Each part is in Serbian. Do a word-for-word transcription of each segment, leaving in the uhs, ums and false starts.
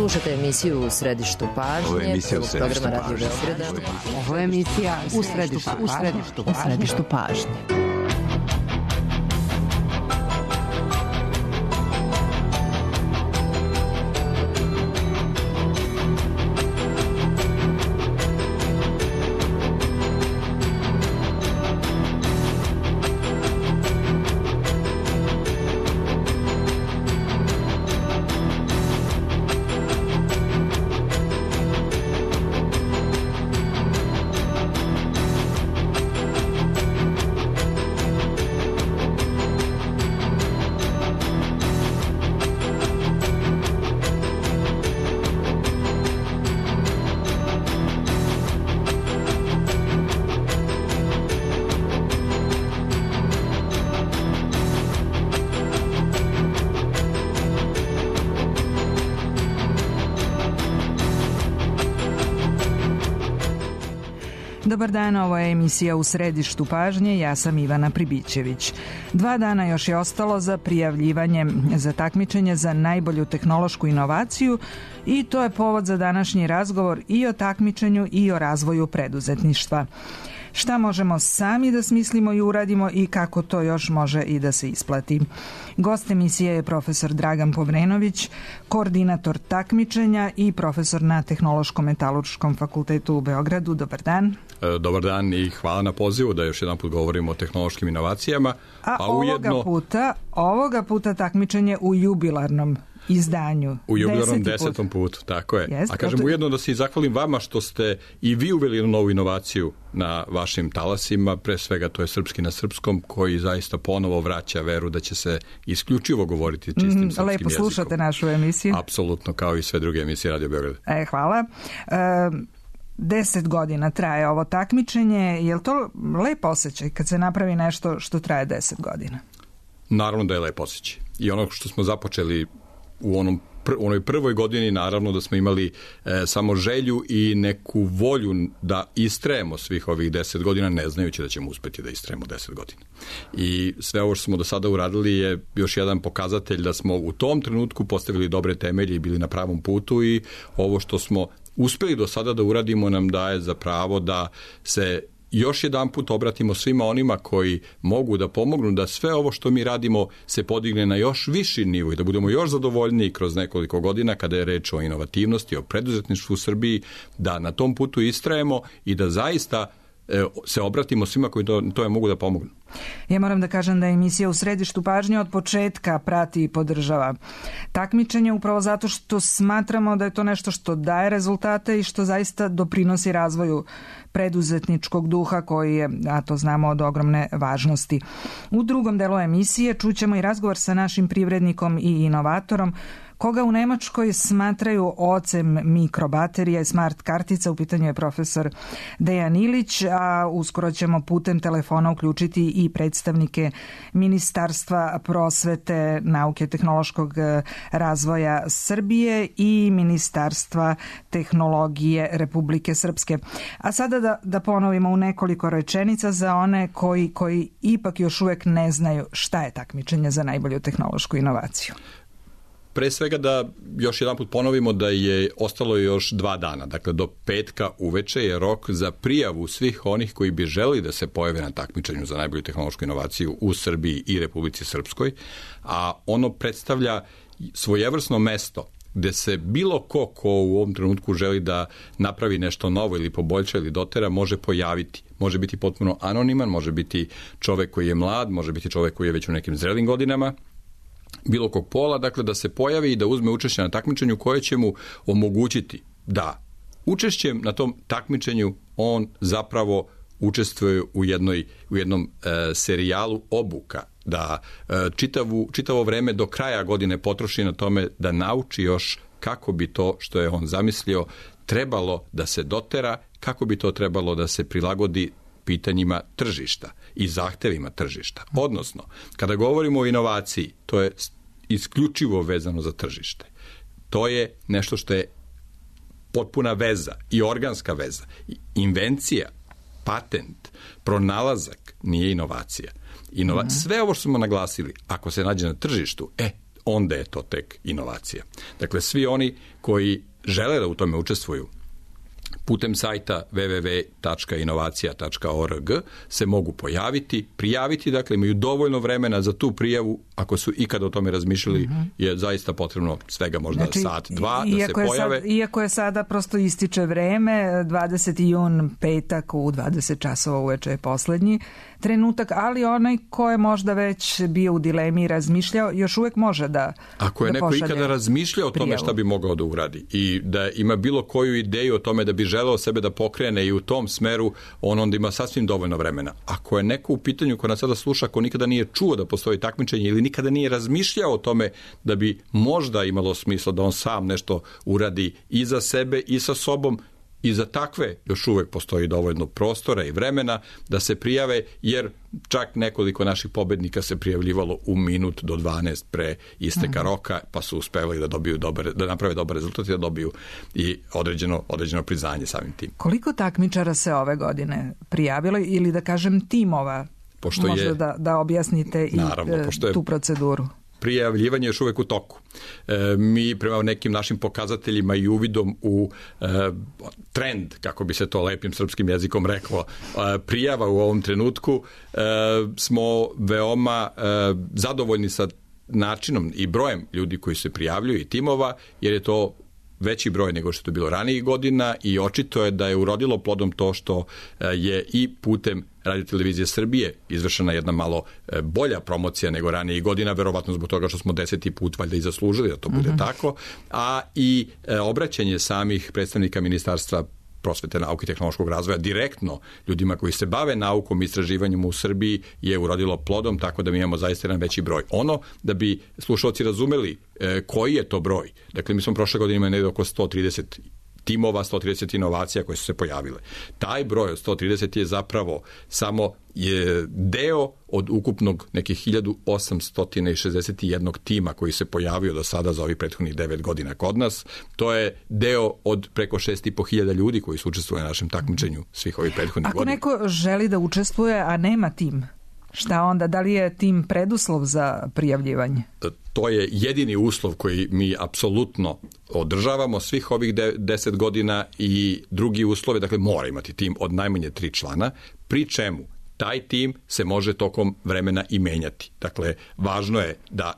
Slušate emisiju U središtu pažnje. Ovo je emisija U središtu programa Radio pažnje. Beograda. Ovo je emisija U središtu pažnje. U središtu pažnje. U središtu pažnje. Dobar dan, ovo je emisija U središtu pažnje, ja sam Ivana Pribićević. Dva dana još je ostalo za prijavljivanje za takmičenje za najbolju tehnološku inovaciju i to je povod za današnji razgovor i o takmičenju i o razvoju preduzetništva. Šta možemo sami da smislimo i uradimo i kako to još može i da se isplati. Gost emisije je profesor Dragan Povrenović, koordinator takmičenja i profesor na Tehnološko-metalurškom fakultetu u Beogradu. Dobar dan. Dobar dan i hvala na pozivu da još jedan put govorimo o tehnološkim inovacijama. A, a ovoga, ujedno, puta, ovoga puta takmičenje u jubilarnom izdanju. U jubilarnom desetom putu, tako je. Jest, a kažem to... ujedno da se i zahvalim vama što ste i vi uveli novu inovaciju na vašim talasima, pre svega to je Srpski na srpskom, koji zaista ponovo vraća veru da će se isključivo govoriti čistim mm, srpskim jezikom. Lepo slušate našu emisiju. Apsolutno, kao i sve druge emisije Radio Beograd. E, hvala. E, deset godina traje ovo takmičenje. Je li to lep osjećaj kad se napravi nešto što traje deset godina? Naravno da je lep osjećaj. I ono što smo započeli u onom pr- u onoj prvoj godini, naravno da smo imali e, samo želju i neku volju da istrajemo svih ovih deset godina, ne znajući da ćemo uspeti da istrajemo deset godina. I sve ovo što smo do sada uradili je još jedan pokazatelj da smo u tom trenutku postavili dobre temelje i bili na pravom putu i ovo što smo uspeli do sada da uradimo nam daje za pravo da se još jedan put obratimo svima onima koji mogu da pomognu da sve ovo što mi radimo se podigne na još viši nivo i da budemo još zadovoljniji kroz nekoliko godina kada je reč o inovativnosti, o preduzetništvu u Srbiji, da na tom putu istrajemo i da zaista e, se obratimo svima koji to, to je mogu da pomognu. Ja moram da kažem da je emisija U središtu pažnje od početka prati i podržava takmičenje upravo zato što smatramo da je to nešto što daje rezultate i što zaista doprinosi razvoju preduzetničkog duha koji je, a to znamo, od ogromne važnosti. U drugom delu emisije čućemo i razgovor sa našim privrednikom i inovatorom koga u Nemačkoj smatraju ocem mikrobaterija i smart kartica. U pitanju je profesor Dejan Ilić, a uskoro ćemo putem telefona uključiti i predstavnike Ministarstva prosvete, nauke i tehnološkog razvoja Srbije i Ministarstva tehnologije Republike Srpske. A sada da, da ponovimo u nekoliko rečenica za one koji, koji ipak još uvek ne znaju šta je takmičenje za najbolju tehnološku inovaciju. Pre svega da još jedan put ponovimo da je ostalo još dva dana. Dakle, do petka uveče je rok za prijavu svih onih koji bi želi da se pojave na takmičenju za najbolju tehnološku inovaciju u Srbiji i Republici Srpskoj, a ono predstavlja svojevrsno mesto gde se bilo ko ko u ovom trenutku želi da napravi nešto novo ili poboljša ili dotera može pojaviti. Može biti potpuno anoniman, može biti čovek koji je mlad, može biti čovek koji je već u nekim zrelim godinama, bilo kog pola, dakle da se pojavi i da uzme učešće na takmičenju koje će mu omogućiti da učešćem na tom takmičenju on zapravo učestvuje u, jednoj, u jednom e, serijalu obuka, da e, čitavu, čitavo vreme do kraja godine potroši na tome da nauči još kako bi to što je on zamislio trebalo da se dotera, kako bi to trebalo da se prilagodi pitanjima tržišta i zahtevima tržišta. Odnosno, kada govorimo o inovaciji, to je isključivo vezano za tržište. To je nešto što je potpuna veza i organska veza. Invencija, patent, pronalazak nije inovacija. Inova... Mm-hmm. Sve ovo što smo naglasili, ako se nađe na tržištu, e, onda je to tek inovacija. Dakle, svi oni koji žele da u tome učestvuju, putem sajta w w w tačka inovacija tačka org se mogu pojaviti, prijaviti, dakle imaju dovoljno vremena za tu prijavu, ako su ikada o tome razmišljali, mm-hmm. je zaista potrebno svega možda znači, sat, dva da se pojave. Sad, iako je sada prosto ističe vreme, dvadeseti jun, petak u dvadeset časova uveče je poslednji trenutak, ali onaj ko je možda već bio u dilemi i razmišljao, još uvek može da Ako je da neko ikada razmišljao o tome prijavu. šta bi mogao da uradi i da ima bilo koju ideju o tome da bi želeo sebe da pokrene i u tom smeru, on onda ima sasvim dovoljno vremena. Ako je neko u pitanju ko nas sada sluša, ko nikada nije čuo da postoji takmičenje ili nikada nije razmišljao o tome da bi možda imalo smisla da on sam nešto uradi i za sebe i sa sobom, i za takve još uvek postoji dovoljno prostora i vremena da se prijave, jer čak nekoliko naših pobednika se prijavljivalo u minut do dvanaest pre isteka roka, pa su uspevali da dobiju dobar, da naprave dobar rezultat i da dobiju i određeno, određeno priznanje samim tim. Koliko takmičara se ove godine prijavilo ili da kažem timova? Pošto možda je, da, da objasnite i naravno, je, tu proceduru. Prijavljivanje je još uvek u toku. E, mi prema nekim našim pokazateljima i uvidom u e, trend, kako bi se to lepim srpskim jezikom reklo, e, prijava u ovom trenutku, e, smo veoma e, zadovoljni sa načinom i brojem ljudi koji se prijavljuju i timova, jer je to veći broj nego što je to bilo ranijih godina i očito je da je urodilo plodom to što je i putem Radio-televizije Srbije izvršena jedna malo bolja promocija nego ranijih godina, verovatno zbog toga što smo deseti put valjda i zaslužili da to bude mm-hmm. tako, a i obraćanje samih predstavnika Ministarstva prosvete, nauke i tehnološkog razvoja direktno ljudima koji se bave naukom i istraživanjem u Srbiji je urodilo plodom, tako da mi imamo zaista jedan veći broj. Ono, da bi slušalci razumeli e, koji je to broj. Dakle, mi smo prošle godine imali negdje oko sto trideset timova, sto trideset inovacija koje su se pojavile. Taj broj od sto trideset je zapravo samo je deo od ukupnog nekih hiljadu osamsto šezdeset jedan tima koji se pojavio do sada za ovih prethodnih devet godina kod nas. To je deo od preko šest i po hiljada ljudi koji su učestvovali na našem takmičenju svih ovih prethodnih Ako godina. Ako neko želi da učestvuje, a nema tim, šta onda? Da li je tim preduslov za prijavljivanje? To je jedini uslov koji mi apsolutno održavamo svih ovih deset godina i drugi uslov je, dakle, mora imati tim od najmanje tri člana, pri čemu taj tim se može tokom vremena i menjati. Dakle, važno je da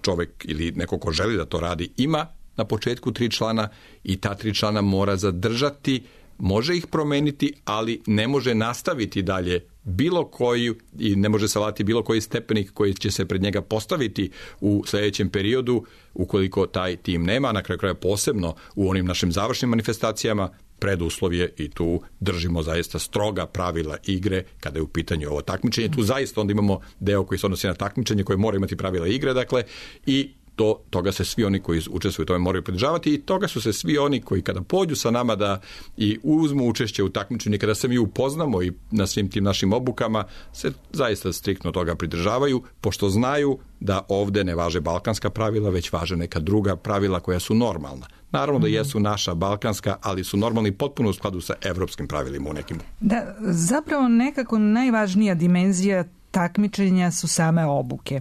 čovek ili neko ko želi da to radi ima na početku tri člana i ta tri člana mora zadržati, može ih promeniti, ali ne može nastaviti dalje bilo koji i ne može savladati bilo koji stepenik koji će se pred njega postaviti u sljedećem periodu ukoliko taj tim nema, na kraju kraja posebno u onim našim završnim manifestacijama. Preduslov je i tu držimo zaista stroga pravila igre kada je u pitanju ovo takmičenje. Tu zaista onda imamo deo koji se odnosi na takmičenje koje mora imati pravila igre, dakle, i to, toga se svi oni koji učestvuju u tome moraju pridržavati i toga su se svi oni koji kada pođu sa nama da i uzmu učešće u takmičenju, kada se mi upoznamo i na svim tim našim obukama, se zaista striktno toga pridržavaju, pošto znaju da ovde ne važe balkanska pravila, već važe neka druga pravila koja su normalna. Naravno da jesu naša balkanska, ali su normalni potpuno u skladu sa evropskim pravilima u nekim. Da, zapravo nekako najvažnija dimenzija takmičenja su same obuke.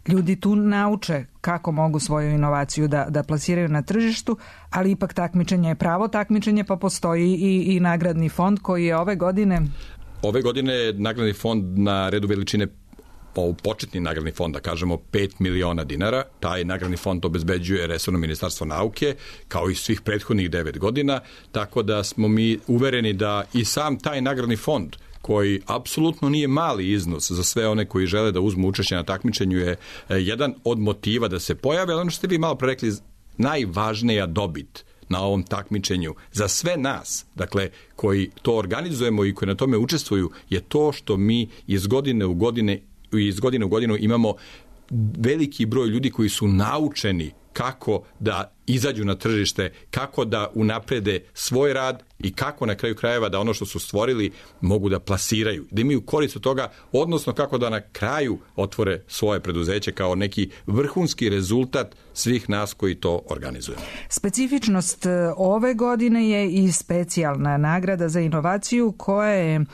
Ljudi tu nauče kako mogu svoju inovaciju da, da plasiraju na tržištu, ali ipak takmičenje je pravo takmičenje, pa postoji i, i nagradni fond koji je ove godine... Ove godine je nagradni fond na redu veličine, početni nagradni fond, da kažemo, pet miliona dinara. Taj nagradni fond obezbeđuje resorno Ministarstvo nauke, kao i svih prethodnih devet godina, tako da smo mi uvereni da i sam taj nagradni fond, koji apsolutno nije mali iznos za sve one koji žele da uzmu učešće na takmičenju, je jedan od motiva da se pojave, ali ono što ste vi malo pre rekli, najvažnija dobit na ovom takmičenju za sve nas, dakle, koji to organizujemo i koji na tome učestvuju, je to što mi iz godine u godine iz godine u godinu imamo veliki broj ljudi koji su naučeni kako da izađu na tržište, kako da unaprede svoj rad i kako na kraju krajeva da ono što su stvorili mogu da plasiraju, da imaju korist od toga, odnosno kako da na kraju otvore svoje preduzeće kao neki vrhunski rezultat svih nas koji to organizujemo. Specifičnost ove godine je i specijalna nagrada za inovaciju koja je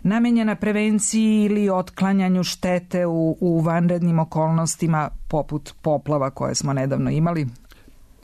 namenjena prevenciji ili otklanjanju štete u, u vanrednim okolnostima poput poplava koje smo nedavno imali.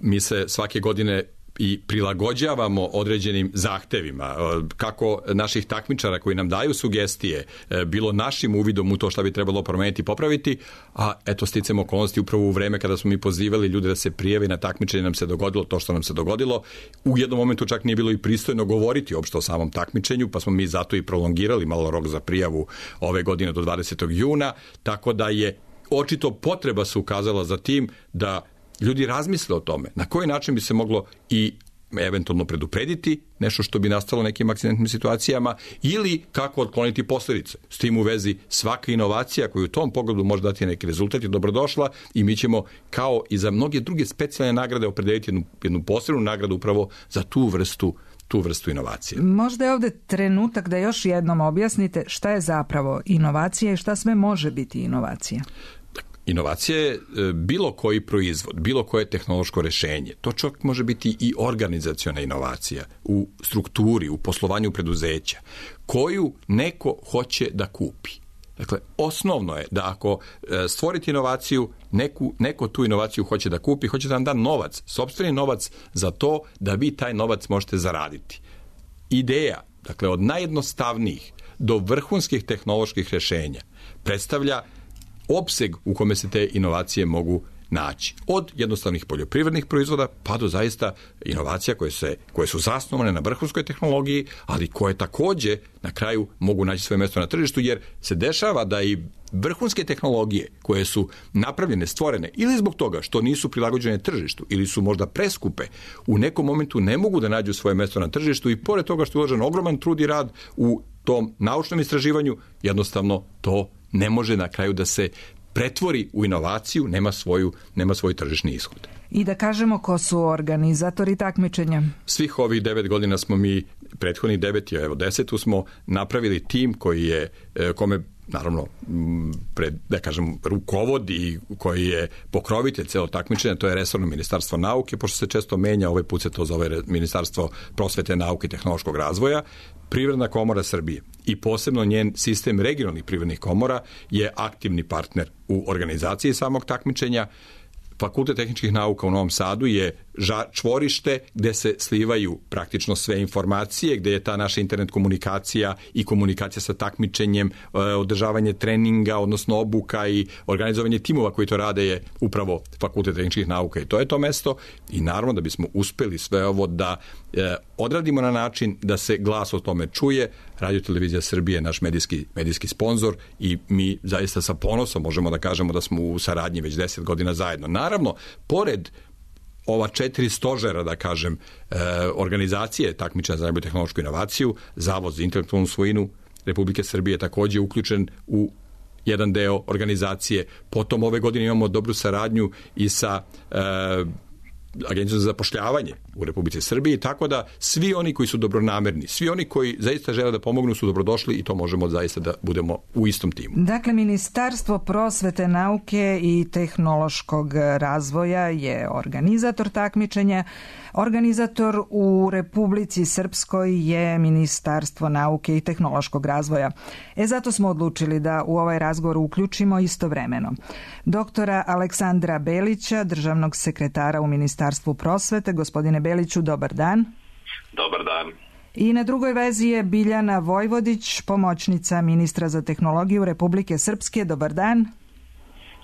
Mi se svake godine i prilagođavamo određenim zahtevima, kako naših takmičara koji nam daju sugestije, bilo našim uvidom u to šta bi trebalo promeniti i popraviti, a eto sticamo okolnosti upravo u vreme kada smo mi pozivali ljude da se prijave na takmičenje, nam se dogodilo to što nam se dogodilo. U jednom momentu čak nije bilo i pristojno govoriti uopšte o samom takmičenju, pa smo mi zato i prolongirali malo rok za prijavu ove godine do dvadesetog juna, tako da je očito potreba se ukazala za tim da ljudi razmisle o tome na koji način bi se moglo i eventualno preduprediti nešto što bi nastalo nekim akcidentnim situacijama ili kako otkloniti posljedice. S tim u vezi svaka inovacija koja u tom pogledu može dati neki rezultat je dobrodošla i mi ćemo kao i za mnoge druge specijalne nagrade opredeliti jednu, jednu posebnu nagradu upravo za tu vrstu tu vrstu inovacije. Možda je ovdje trenutak da još jednom objasnite šta je zapravo inovacija i šta sve može biti inovacija. Inovacija je bilo koji proizvod, bilo koje tehnološko rješenje. To čak može biti i organizaciona inovacija u strukturi, u poslovanju preduzeća, koju neko hoće da kupi. Dakle, osnovno je da ako stvorite inovaciju, neku, neko tu inovaciju hoće da kupi, hoće da vam da novac, sopstveni novac za to da vi taj novac možete zaraditi. Ideja, dakle, od najjednostavnijih do vrhunskih tehnoloških rješenja predstavlja opseg u kome se te inovacije mogu naći. Od jednostavnih poljoprivrednih proizvoda pa do zaista inovacija koje, se, koje su zasnovane na vrhunskoj tehnologiji, ali koje također na kraju mogu naći svoje mjesto na tržištu, jer se dešava da i vrhunske tehnologije koje su napravljene, stvorene ili zbog toga što nisu prilagođene tržištu ili su možda preskupe, u nekom momentu ne mogu da nađu svoje mjesto na tržištu i pored toga što je uložen ogroman trud i rad u tom naučnom istraživanju, jednostavno to ne može na kraju da se pretvori u inovaciju, nema svoju, nema svoj tržišni ishod. I da kažemo ko su organizatori takmičenja? Svih ovih devet godina smo mi, prethodnih devet, evo desetu smo napravili tim koji je, kome naravno, pred, da kažem, rukovod i koji je pokrovitelj celo takmičenja, to je resorno ministarstvo nauke, pošto se često menja, ovaj put se to zove Ministarstvo prosvete, nauke i tehnološkog razvoja. Privredna komora Srbije i posebno njen sistem regionalnih privrednih komora je aktivni partner u organizaciji samog takmičenja. Fakultet tehničkih nauka u Novom Sadu je čvorište gdje se slivaju praktično sve informacije, gdje je ta naša internet komunikacija i komunikacija sa takmičenjem, održavanje treninga, odnosno obuka i organizovanje timova koji to rade je upravo Fakultet tehničkih nauka i to je to mesto. I naravno da bismo uspjeli sve ovo da odradimo na način da se glas o tome čuje, Radio Televizija Srbije je naš medijski, medijski sponsor i mi zaista sa ponosom možemo da kažemo da smo u saradnji već deset godina zajedno. Naravno, pored ova četiri stožera, da kažem, e, organizacije takmičenja za najbolju tehnološku inovaciju, Zavod za intelektualnu svojinu Republike Srbije je također uključen u jedan deo organizacije. Potom ove godine imamo dobru saradnju i sa e, Agencijom za zapošljavanje u Republici Srbiji, tako da svi oni koji su dobronamerni, svi oni koji zaista žele da pomognu su dobrodošli i to možemo zaista da budemo u istom timu. Dakle, Ministarstvo prosvete, nauke i tehnološkog razvoja je organizator takmičenja. Organizator u Republici Srpskoj je Ministarstvo nauke i tehnološkog razvoja. E zato smo odlučili da u ovaj razgovor uključimo istovremeno doktora Aleksandra Belića, državnog sekretara u Ministarstvu prosvete. Gospodine Beliću, dobar dan. Dobar dan. I na drugoj vezi je Biljana Vojvodić, pomoćnica ministra za tehnologiju Republike Srpske. Dobar dan.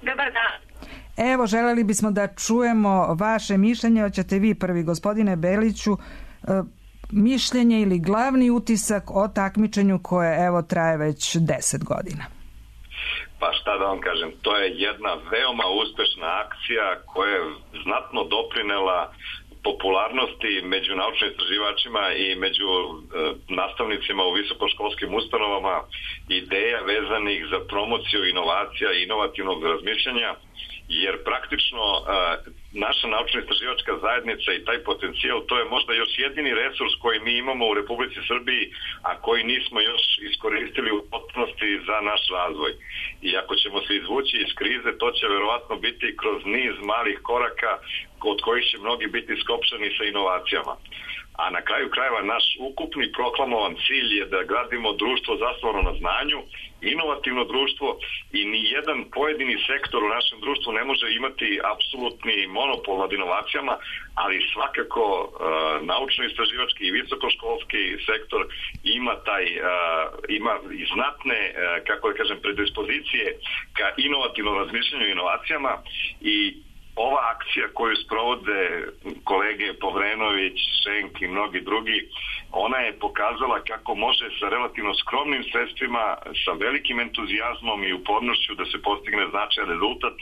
Dobar dan. Evo, želeli bismo da čujemo vaše mišljenje. Hoćete vi prvi, gospodine Beliću, mišljenje ili glavni utisak o takmičenju koje evo traje već deset godina? Pa šta da vam kažem, to je jedna veoma uspešna akcija koja je znatno doprinela popularnosti među naučno-istraživačima i među e, nastavnicima u visokoškolskim ustanovama ideja vezanih za promociju inovacija i inovativnog razmišljanja, jer praktično e, naša naučno-istraživačka zajednica i taj potencijal, to je možda još jedini resurs koji mi imamo u Republici Srbiji, a koji nismo još iskoristili u potpunosti za naš razvoj. I ako ćemo se izvući iz krize, to će verovatno biti kroz niz malih koraka od kojih će mnogi biti skopčani sa inovacijama. A na kraju krajeva naš ukupni proklamovan cilj je da gradimo društvo zasnovano na znanju, inovativno društvo, i ni jedan pojedini sektor u našem društvu ne može imati apsolutni monopol nad inovacijama, ali svakako uh, naučno-istraživački i visokoškolski sektor ima taj uh, ima i znatne uh, kako da kažem predispozicije ka inovativnom razmišljanju i inovacijama. I ova akcija koju sprovode kolege Povrenović, Šenk i mnogi drugi, ona je pokazala kako može sa relativno skromnim sredstvima, sa velikim entuzijazmom i upornošću da se postigne značajan rezultat,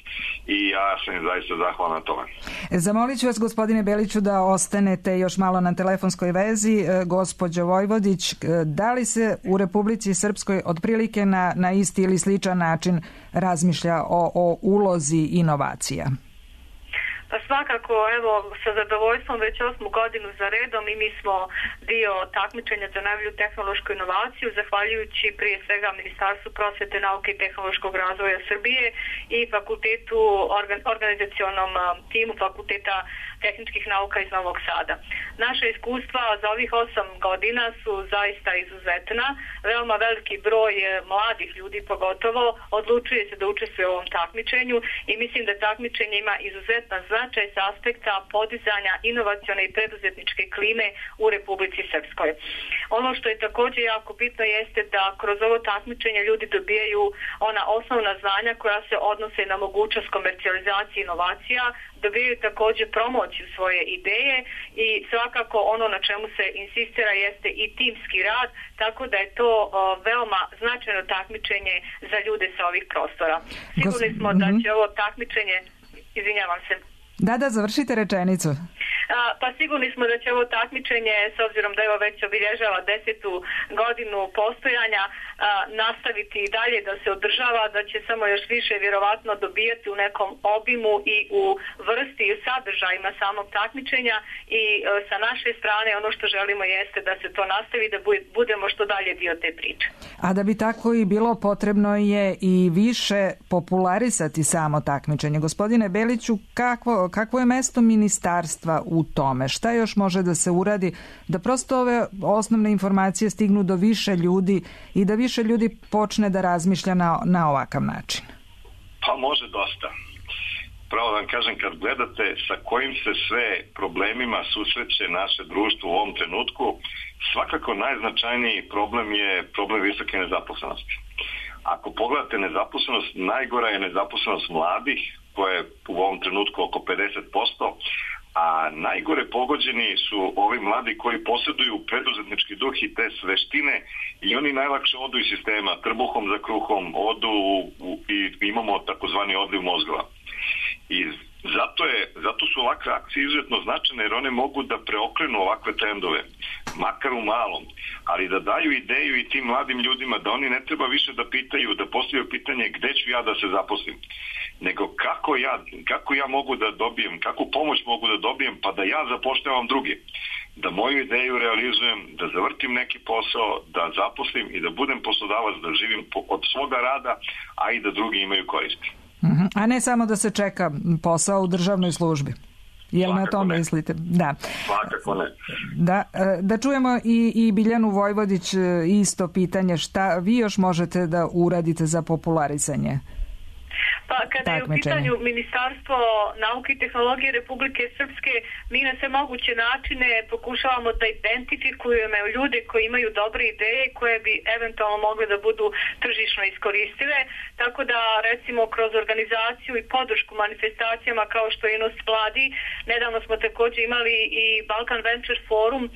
i ja sam zaista zahvalan na tome. Zamolit ću vas, gospodine Beliću, da ostanete još malo na telefonskoj vezi. Gospođo Vojvodić, da li se u Republici Srpskoj otprilike na, na isti ili sličan način razmišlja o, o ulozi inovacija? Pa svakako, evo, sa zadovoljstvom već osmu godinu za redom i mi smo dio takmičenja za najbolju tehnološku inovaciju, zahvaljujući prije svega Ministarstvu prosvete, nauke i tehnološkog razvoja Srbije i fakultetu, organ, organizacionom timu Fakulteta tehničkih nauka iz Novog Sada. Naša iskustva za ovih osam godina su zaista izuzetna. Veoma veliki broj mladih ljudi pogotovo odlučuje se da učestvuje u ovom takmičenju i mislim da takmičenje ima izuzetan značaj sa aspekta podizanja inovacione i preduzetničke klime u Republici Srpskoj. Ono što je također jako bitno jeste da kroz ovo takmičenje ljudi dobijaju ona osnovna znanja koja se odnose na mogućnost komercijalizacije inovacija, dobijaju također promociju svoje ideje i svakako ono na čemu se insistira jeste i timski rad, tako da je to o, veoma značajno takmičenje za ljude sa ovih prostora. Sigurni smo da će ovo takmičenje, izvinjavam se. Da, da, završite rečenicu. A, pa sigurni smo da će ovo takmičenje, s obzirom da evo već obilježava desetu godinu postojanja, a, nastaviti i dalje da se održava, da će samo još više vjerovatno dobijati u nekom obimu i u vrsti i u sadržajima samog takmičenja i a, sa naše strane ono što želimo jeste da se to nastavi, da budemo što dalje dio te priče. A da bi tako i bilo, potrebno je i više popularisati samo takmičenje. Gospodine Beliću, kakvo, kakvo je mesto ministarstva u tome? Šta još može da se uradi da prosto ove osnovne informacije stignu do više ljudi i da više ljudi počne da razmišlja na, na ovakav način? Pa može dosta. Pravo da vam kažem, kad gledate sa kojim se sve problemima susreće naše društvo u ovom trenutku, svakako najznačajniji problem je problem visoke nezaposlenosti. Ako pogledate nezaposlenost, najgora je nezaposlenost mladih, koja je u ovom trenutku oko pedeset posto, a najgore pogođeni su ovi mladi koji posjeduju preduzetnički duh i te veštine i oni najlakše odu iz sistema, trbuhom za kruhom, odu u, i imamo takozvani odliv mozgova. I zato, je, zato su ovakve akcije izuzetno značajne jer one mogu da preokrenu ovakve trendove, makar u malom, ali da daju ideju i tim mladim ljudima da oni ne treba više da pitaju, da postavljaju pitanje gde ću ja da se zaposlim, nego kako ja, kako ja mogu da dobijem, kakvu pomoć mogu da dobijem pa da ja zapošljavam druge, da moju ideju realizujem, da zavrtim neki posao, da zaposlim i da budem poslodavac, da živim od svoga rada, a i da drugi imaju koristi. A ne samo da se čeka posao u državnoj službi. Jel svakako na to ne mislite? Da. Svakako ne. Da, da čujemo i, i Biljanu Vojvodić isto pitanje. Šta vi još možete da uradite za popularisanje? Pa kada je u pitanju Ministarstvo nauke i tehnologije Republike Srpske, mi na sve moguće načine pokušavamo da identifikujemo ljude koji imaju dobre ideje koje bi eventualno mogle da budu tržišno iskoristive, tako da recimo kroz organizaciju i podršku manifestacijama kao što je Nos Vladi, nedavno smo također imali i Balkan Venture Forum a,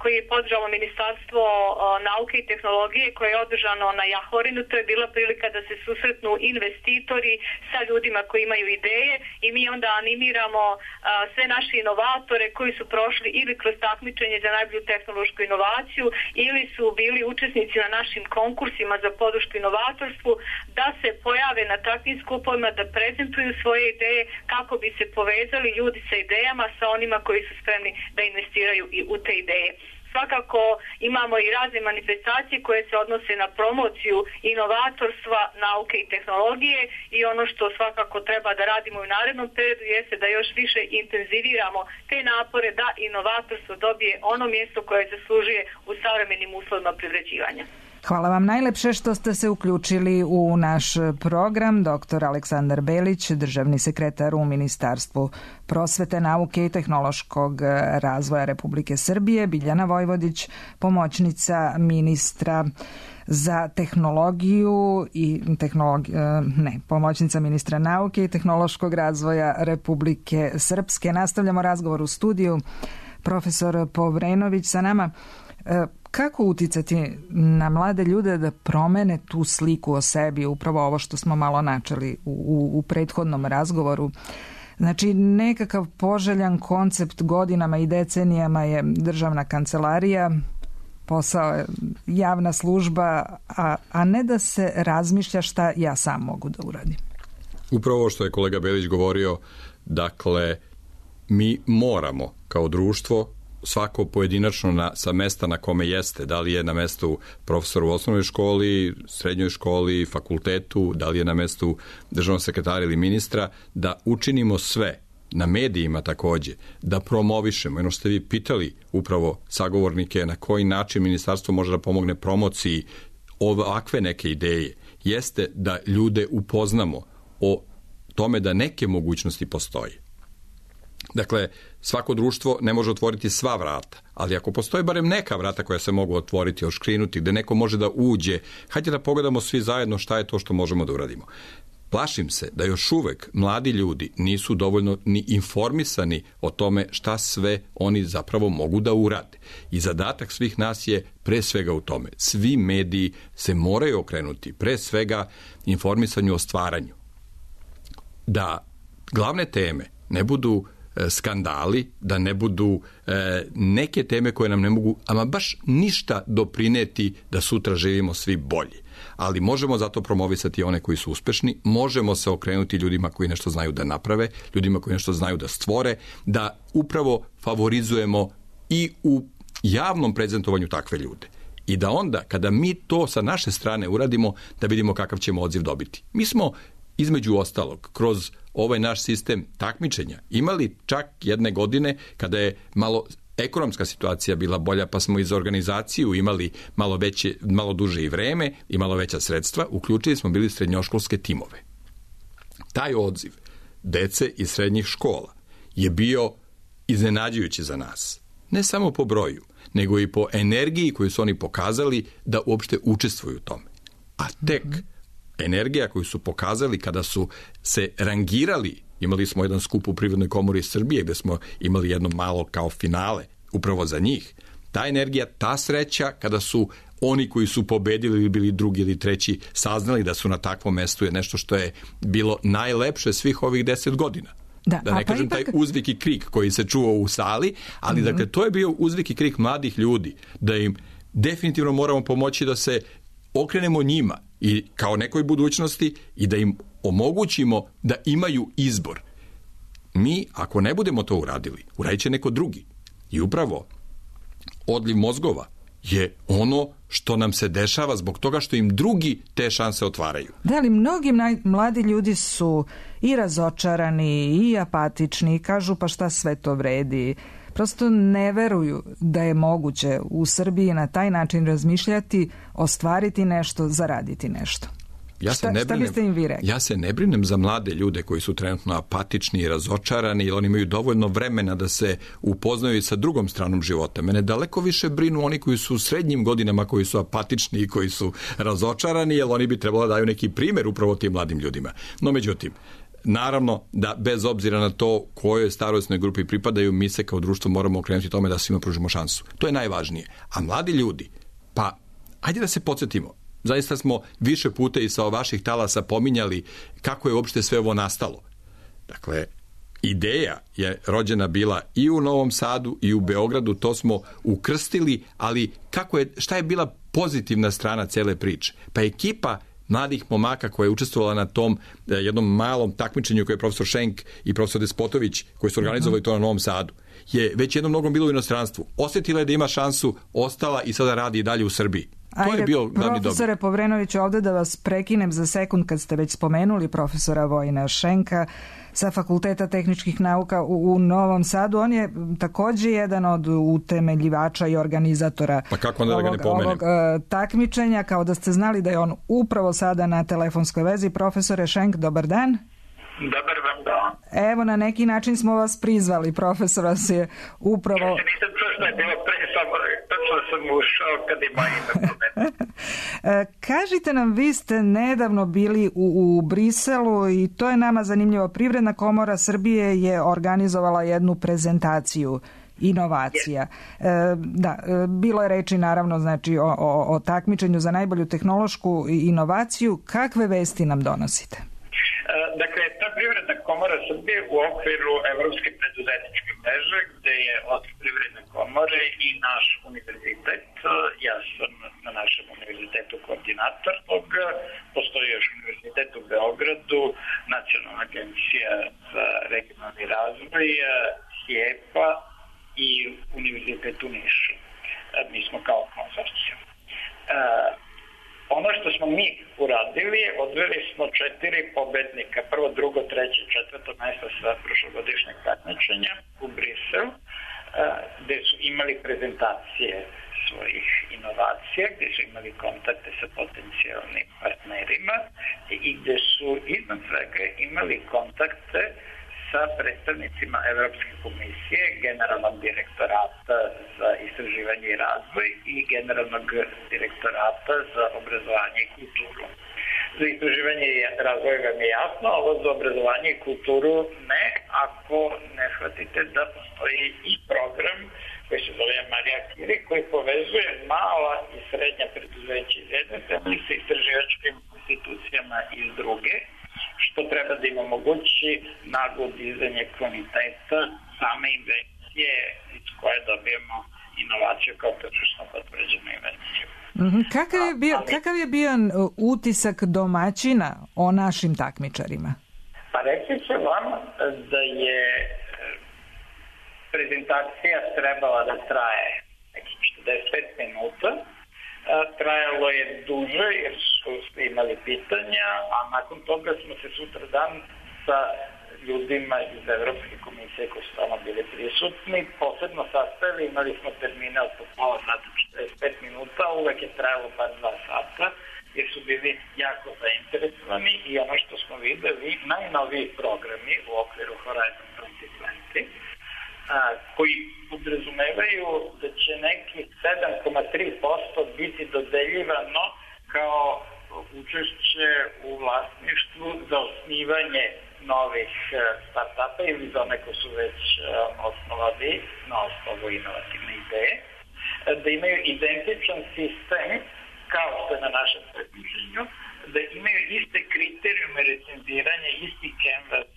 koji je podržalo Ministarstvo a, nauke i tehnologije koje je održano na Jahorinu. To je bila prilika da se susretnu investitori sa ljudima koji imaju ideje i mi onda animiramo a, sve naše inovatore koji su prošli ili kroz takmičenje za najbolju tehnološku inovaciju ili su bili učesnici na našim konkursima za podršku inovatorstvu da se pojave na takvim skupovima, da prezentuju svoje ideje kako bi se povezali ljudi sa idejama sa onima koji su spremni da investiraju i u te ideje. Svakako imamo i razne manifestacije koje se odnose na promociju inovatorstva, nauke i tehnologije i ono što svakako treba da radimo u narednom periodu jeste da još više intenziviramo te napore da inovatorstvo dobije ono mjesto koje zaslužuje u savremenim uslovima privređivanja. Hvala vam najlepše što ste se uključili u naš program. Doktor Aleksandar Belić, državni sekretar u Ministarstvu prosvete, nauke i tehnološkog razvoja Republike Srbije, Biljana Vojvodić, pomoćnica ministra za tehnologiju i tehnologi, ne, pomoćnica ministra nauke i tehnološkog razvoja Republike Srpske. Nastavljamo razgovor u studiju. Profesor Povrenović sa nama. Kako uticati na mlade ljude da promene tu sliku o sebi, upravo ovo što smo malo načeli u, u, u prethodnom razgovoru? Znači, nekakav poželjan koncept godinama i decenijama je državna kancelarija, posao je javna služba, a, a ne da se razmišlja šta ja sam mogu da uradim. Upravo što je kolega Belić govorio, dakle, mi moramo kao društvo svako pojedinačno na, sa mesta na kome jeste, da li je na mestu profesora u osnovnoj školi, srednjoj školi, fakultetu, da li je na mestu državnog sekretara ili ministra, da učinimo sve, na medijima takođe, da promovišemo. Jedno ste vi pitali upravo sagovornike na koji način ministarstvo može da pomogne promociji ovakve neke ideje, jeste da ljude upoznamo o tome da neke mogućnosti postoje. Dakle, svako društvo ne može otvoriti sva vrata, ali ako postoje barem neka vrata koja se mogu otvoriti, oškrinuti, gde neko može da uđe, hajde da pogledamo svi zajedno šta je to što možemo da uradimo. Plašim se da još uvek mladi ljudi nisu dovoljno ni informisani o tome šta sve oni zapravo mogu da urade. I zadatak svih nas je pre svega u tome. Svi mediji se moraju okrenuti pre svega informisanju o stvaranju. Da glavne teme ne budu skandali, da ne budu e, neke teme koje nam ne mogu ama baš ništa doprineti da sutra živimo svi bolje. Ali možemo zato promovisati one koji su uspešni, možemo se okrenuti ljudima koji nešto znaju da naprave, ljudima koji nešto znaju da stvore, da upravo favorizujemo i u javnom prezentovanju takve ljude. I da onda, kada mi to sa naše strane uradimo, da vidimo kakav ćemo odziv dobiti. Mi smo između ostalog, kroz ovaj naš sistem takmičenja imali čak jedne godine kada je malo ekonomska situacija bila bolja, pa smo i za organizaciju imali malo veće, malo duže i vreme i malo veća sredstva, uključili smo bili srednjoškolske timove. Taj odziv dece iz srednjih škola je bio iznenađujući za nas. Ne samo po broju, nego i po energiji koju su oni pokazali da uopšte učestvuju u tome. A tek energija koju su pokazali kada su se rangirali, imali smo jedan skup u Privrednoj komori Srbije gde smo imali jedno malo kao finale upravo za njih. Ta energija, ta sreća kada su oni koji su pobedili ili bili drugi ili treći saznali da su na takvom mestu je nešto što je bilo najlepše svih ovih deset godina. Da, da ne kažem pa ipak taj uzvik i krik koji se čuo u sali, ali mm-hmm. dakle to je bio uzvik i krik mladih ljudi, da im definitivno moramo pomoći da se okrenemo njima i kao nekoj budućnosti i da im omogućimo da imaju izbor. Mi, ako ne budemo to uradili, uradit će neko drugi. I upravo odliv mozgova je ono što nam se dešava zbog toga što im drugi te šanse otvaraju. Da, ali mnogi mladi ljudi su i razočarani i apatični i kažu pa šta sve to vredi. Prosto ne veruju da je moguće u Srbiji na taj način razmišljati, ostvariti nešto, zaraditi nešto. Ja šta, se ne šta brinem, biste im vi rekli? Ja se ne brinem za mlade ljude koji su trenutno apatični i razočarani, jer oni imaju dovoljno vremena da se upoznaju i sa drugom stranom života. Mene daleko više brinu oni koji su u srednjim godinama, koji su apatični i koji su razočarani, jer oni bi trebalo da daju neki primjer upravo tim mladim ljudima. No međutim, naravno da bez obzira na to kojoj starosnoj grupi pripadaju, mi se kao društvo moramo okrenuti tome da svima pružimo šansu. To je najvažnije. A mladi ljudi, pa ajde da se podsjetimo, zaista smo više puta i sa vaših talasa pominjali kako je uopšte sve ovo nastalo. Dakle, ideja je rođena bila i u Novom Sadu i u Beogradu, to smo ukrstili, ali kako je, šta je bila pozitivna strana cele priče? Pa ekipa mladih momaka koja je učestvovala na tom eh, jednom malom takmičenju koje je profesor Šenk i profesor Despotović koji su organizovali to na Novom Sadu, je već jednom mnogom bilo u inostranstvu. Osjetila je da ima šansu, ostala i sada radi i dalje u Srbiji. To Ajde, je bio glavni dobi. Profesore Povrenović, ovde da vas prekinem za sekund kad ste već spomenuli profesora Vojina Šenka sa Fakulteta tehničkih nauka u, u Novom Sadu. On je takođe jedan od utemeljivača i organizatora pa kako onda ovog, da ga ne pomenem? ovog uh, takmičenja, kao da ste znali da je on upravo sada na telefonskoj vezi. Profesore Šenk, dobar dan. Dobar vam dan. Evo, na neki način smo vas prizvali, profesor vas je upravo... Ja se nisam čuo što je bilo pre, samo točno sam ušao kad je moje ime pomenuo. Kažite nam, vi ste nedavno bili u, u Briselu i to je nama zanimljivo. Privredna komora Srbije je organizovala jednu prezentaciju inovacija. E, da, bilo je reči naravno znači o, o, o takmičenju za najbolju tehnološku inovaciju. Kakve vesti nam donosite? Dakle, ta Privredna komora Srbije u okviru Evropske preduzetničke mreže, gde je od Privredne komore i naš univerzitet, ja sam na našem univerzitetu koordinator toga, postoji još univerzitet u Beogradu, Nacionalna agencija za regionalni razvoj, HIEPA i univerzitet u Nišu. Mi smo kao konzorcijum. Ono što smo mi uradili, odveli smo četiri pobednika, prvo, drugo, treće, četvrto mesto sa prošlogodišnjeg takmičenja u Brisel, gde su imali prezentacije svojih inovacija, gde su imali kontakte sa potencijalnim partnerima i gde su iznad svega imali kontakte sa predstavnicima Evropske komisije, Generalnog direktorata za istraživanje i razvoj i Generalnog direktorata za obrazovanje i kulturu. Za istraživanje i razvoj vam je jasno, ovo za obrazovanje i kulturu ne, ako ne shvatite da postoji i program koji se zove Marija Kiri, koji povezuje mala i srednja preduzeća iz jedne strane sa istraživačkim institucijama iz druge, što treba da im omogući naglo dizanje kvaliteta same invencije iz koje dobijemo inovaciju kao tržišno potvrđenu invenciju. Mm-hmm. Kakav je bio, kakav je bio utisak domaćina o našim takmičarima? Pa reći ću vam da je prezentacija trebala da traje nekih četrdeset pet minuta. Trajalo je duže jer su imali pitanja, a nakon toga smo se sutra dan sa ljudima iz Evropske komisije koji su tamo bili prisutni posebno sastavili, imali smo termine od pola sata, četrdeset pet minuta, uvek je trajalo bar dva sata jer su bili jako zainteresovani i ono što smo videli, najnoviji programi u okviru Horizon dvadeset dvadeset A, koji podrazumevaju da će neki sedam zarez tri posto biti dodeljivano kao učešće u vlasništvu za osnivanje novih start-upa ili za one koji su već osnovali na osnovu inovativne ideje, da imaju identičan sistem kao što je na našem takmičenju, da imaju iste kriterijume recenziranja, isti canvas,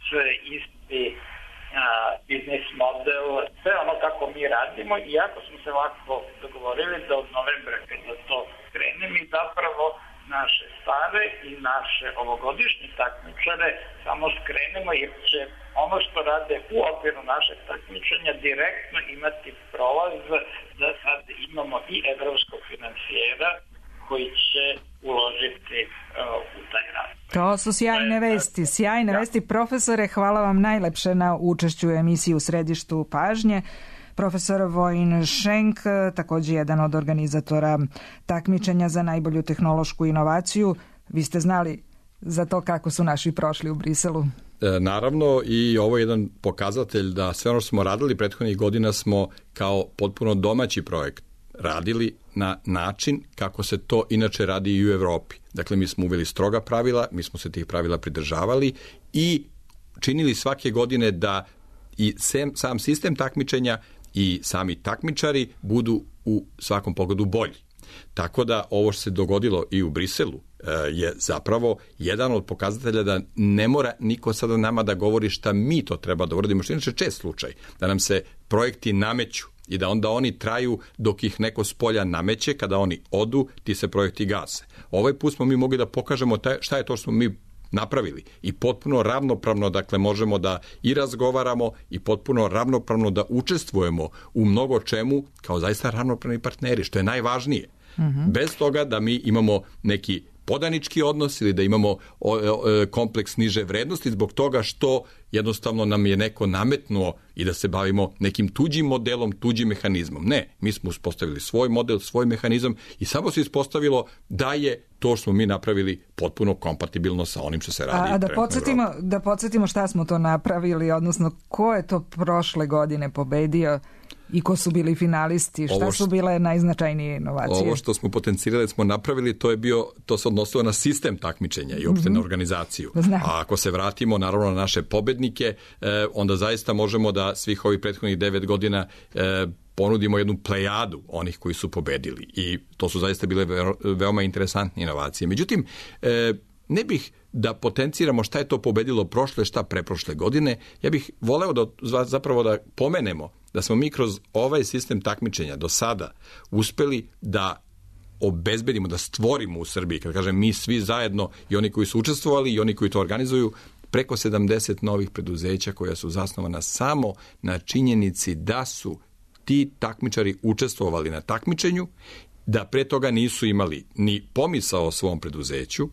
isti biznis model, sve ono kako mi radimo i jako smo se ovako dogovorili da od novembra kada to krene mi zapravo naše stare i naše ovogodišnje takmičare samo skrenemo jer će ono što rade u okviru našeg takmičenja direktno imati prolaz da sad imamo i evropskog finansijera koji će uložiti uh, u taj rad. To su sjajne vesti, sjajne ja. vesti. Profesore, hvala vam najlepše na učešću u emisiji U središtu pažnje. Profesor Vojin Šenk, također jedan od organizatora takmičenja za najbolju tehnološku inovaciju. Vi ste znali za to kako su naši prošli u Briselu? E, naravno, i ovo je jedan pokazatelj da sve ono što smo radili prethodnih godina smo kao potpuno domaći projekt radili na način kako se to inače radi i u Evropi. Dakle, mi smo uveli stroga pravila, mi smo se tih pravila pridržavali i činili svake godine da i sam sistem takmičenja i sami takmičari budu u svakom pogledu bolji. Tako da ovo što se dogodilo i u Briselu je zapravo jedan od pokazatelja da ne mora niko sada nama da govori šta mi to treba da uradimo, što je inače čest slučaj, da nam se projekti nameću i da onda oni traju dok ih neko s polja nameće, kada oni odu, ti se projekti gase. Ovaj put smo mi mogli da pokažemo taj, šta je to što smo mi napravili i potpuno ravnopravno, dakle, možemo da i razgovaramo i potpuno ravnopravno da učestvujemo u mnogo čemu kao zaista ravnopravni partneri, što je najvažnije. Mm-hmm. Bez toga da mi imamo neki podanički odnos ili da imamo kompleks niže vrednosti zbog toga što jednostavno nam je neko nametnuo i da se bavimo nekim tuđim modelom, tuđim mehanizmom. Ne, mi smo uspostavili svoj model, svoj mehanizam i samo se ispostavilo da je to što smo mi napravili potpuno kompatibilno sa onim što se radi. A, a da podsjetimo, da podsjetimo šta smo to napravili, odnosno ko je to prošle godine pobedio i ko su bili finalisti, šta su bile najznačajnije inovacije? Ovo što smo potencirali, smo napravili, to je bio, to se odnosilo na sistem takmičenja i uopšte mm-hmm. na organizaciju. Znam. A ako se vratimo naravno na naše pobednike, eh, onda zaista možemo da svih ovih prethodnih devet godina eh, ponudimo jednu plejadu onih koji su pobedili. I to su zaista bile veoma interesantne inovacije. Međutim, eh, ne bih da potenciramo šta je to pobedilo prošle, šta preprošle godine. Ja bih voleo da zapravo da pomenemo da smo mi kroz ovaj sistem takmičenja do sada uspeli da obezbedimo, da stvorimo u Srbiji, kad kažem mi svi zajedno, i oni koji su učestvovali i oni koji to organizuju, preko sedamdeset novih preduzeća koja su zasnovana samo na činjenici da su ti takmičari učestvovali na takmičenju, da pre toga nisu imali ni pomisao o svom preduzeću,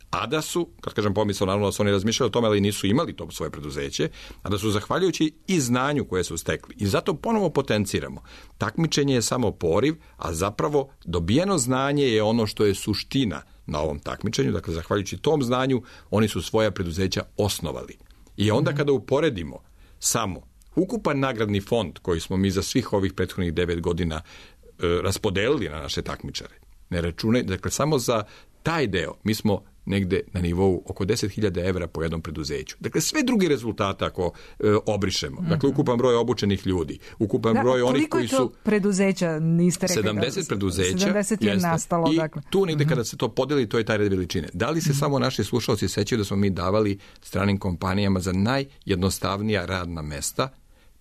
a da su, kad kažem pomisao, naravno da su oni razmišljali o tome, ali nisu imali to svoje preduzeće, a da su zahvaljujući i znanju koje su stekli. I zato ponovo potenciramo. Takmičenje je samo poriv, a zapravo dobijeno znanje je ono što je suština na ovom takmičenju. Dakle, zahvaljujući tom znanju, oni su svoja preduzeća osnovali. I onda kada uporedimo samo ukupan nagradni fond koji smo mi za svih ovih prethodnih devet godina e, raspodelili na naše takmičare, ne računaj, dakle, samo za taj deo mi smo negde na nivou oko deset hiljada evra po jednom preduzeću. Dakle, sve drugi rezultate ako e, obrišemo. Dakle, ukupan broj obučenih ljudi, ukupan da, broj onih koji su... Koliko je to preduzeća, niste rekli? sedamdeset preduzeća. sedamdeset je jeste, nastalo, i dakle. tu negde kada se to podeli, to je taj red veličine. Da li se mm-hmm. samo naši slušalci sećaju da smo mi davali stranim kompanijama za najjednostavnija radna mesta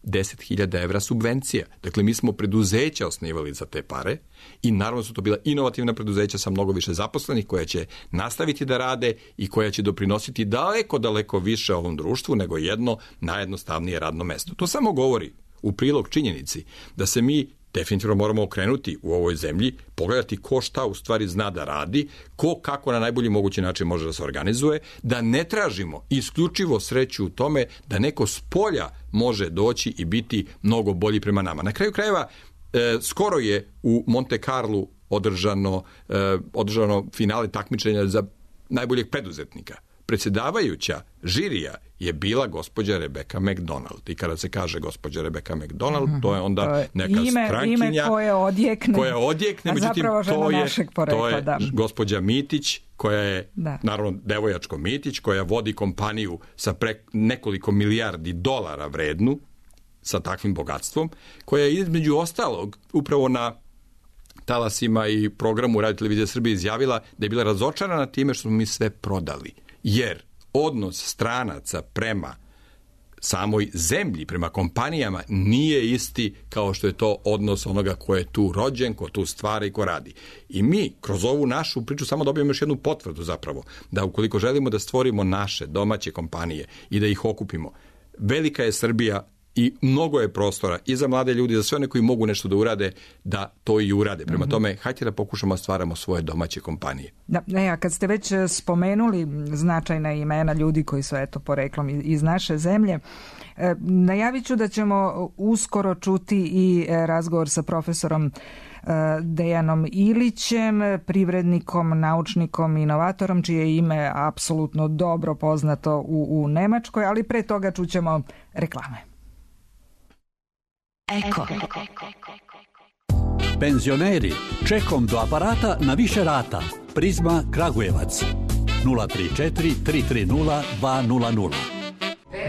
deset hiljada evra subvencija. Dakle, mi smo preduzeća osnivali za te pare i naravno su to bila inovativna preduzeća sa mnogo više zaposlenih koja će nastaviti da rade i koja će doprinositi daleko, daleko više ovom društvu nego jedno najjednostavnije radno mesto. To samo govori u prilog činjenici da se mi definitivno moramo okrenuti u ovoj zemlji, pogledati ko šta u stvari zna da radi, ko kako na najbolji mogući način može da se organizuje, da ne tražimo isključivo sreću u tome da neko s polja može doći i biti mnogo bolji prema nama. Na kraju krajeva, e, skoro je u Monte Carlu održano, e, održano finale takmičenja za najboljeg preduzetnika. Predsjedavajuća žirija je bila gospođa Rebecca McDonald. I kada se kaže gospođa Rebecca McDonald, mm-hmm. to je onda to je neka ime, strankinja ime koje odjekne, koja odjekne, a međutim, zapravo to je, porekla, to je da. gospođa Mitić, koja je, da. naravno, devojačko Mitić, koja vodi kompaniju sa pre nekoliko milijardi dolara vrednu, sa takvim bogatstvom, koja je između ostalog upravo na talasima i programu Radio Televizije Srbije izjavila da je bila razočarana time što smo mi sve prodali. Jer odnos stranaca prema samoj zemlji, prema kompanijama nije isti kao što je to odnos onoga ko je tu rođen, ko tu stvara i ko radi. I mi kroz ovu našu priču samo dobijemo još jednu potvrdu zapravo, da ukoliko želimo da stvorimo naše domaće kompanije i da ih okupimo, velika je Srbija i mnogo je prostora i za mlade ljudi, za sve one koji mogu nešto da urade, da to i urade. Prema tome, hajde da pokušamo da stvaramo svoje domaće kompanije. Da, ne, a kad ste već spomenuli značajna imena ljudi koji su eto poreklom iz naše zemlje, e, najavit ću da ćemo uskoro čuti i razgovor sa profesorom Dejanom Ilićem, privrednikom, naučnikom, inovatorom, čije ime apsolutno dobro poznato u, u Nemačkoj, ali pre toga čućemo reklame. Eko. Penzioneri, čekom do aparata na više rata. Prizma Kragujevac. nula tri četiri tri tri nula dva nula nula.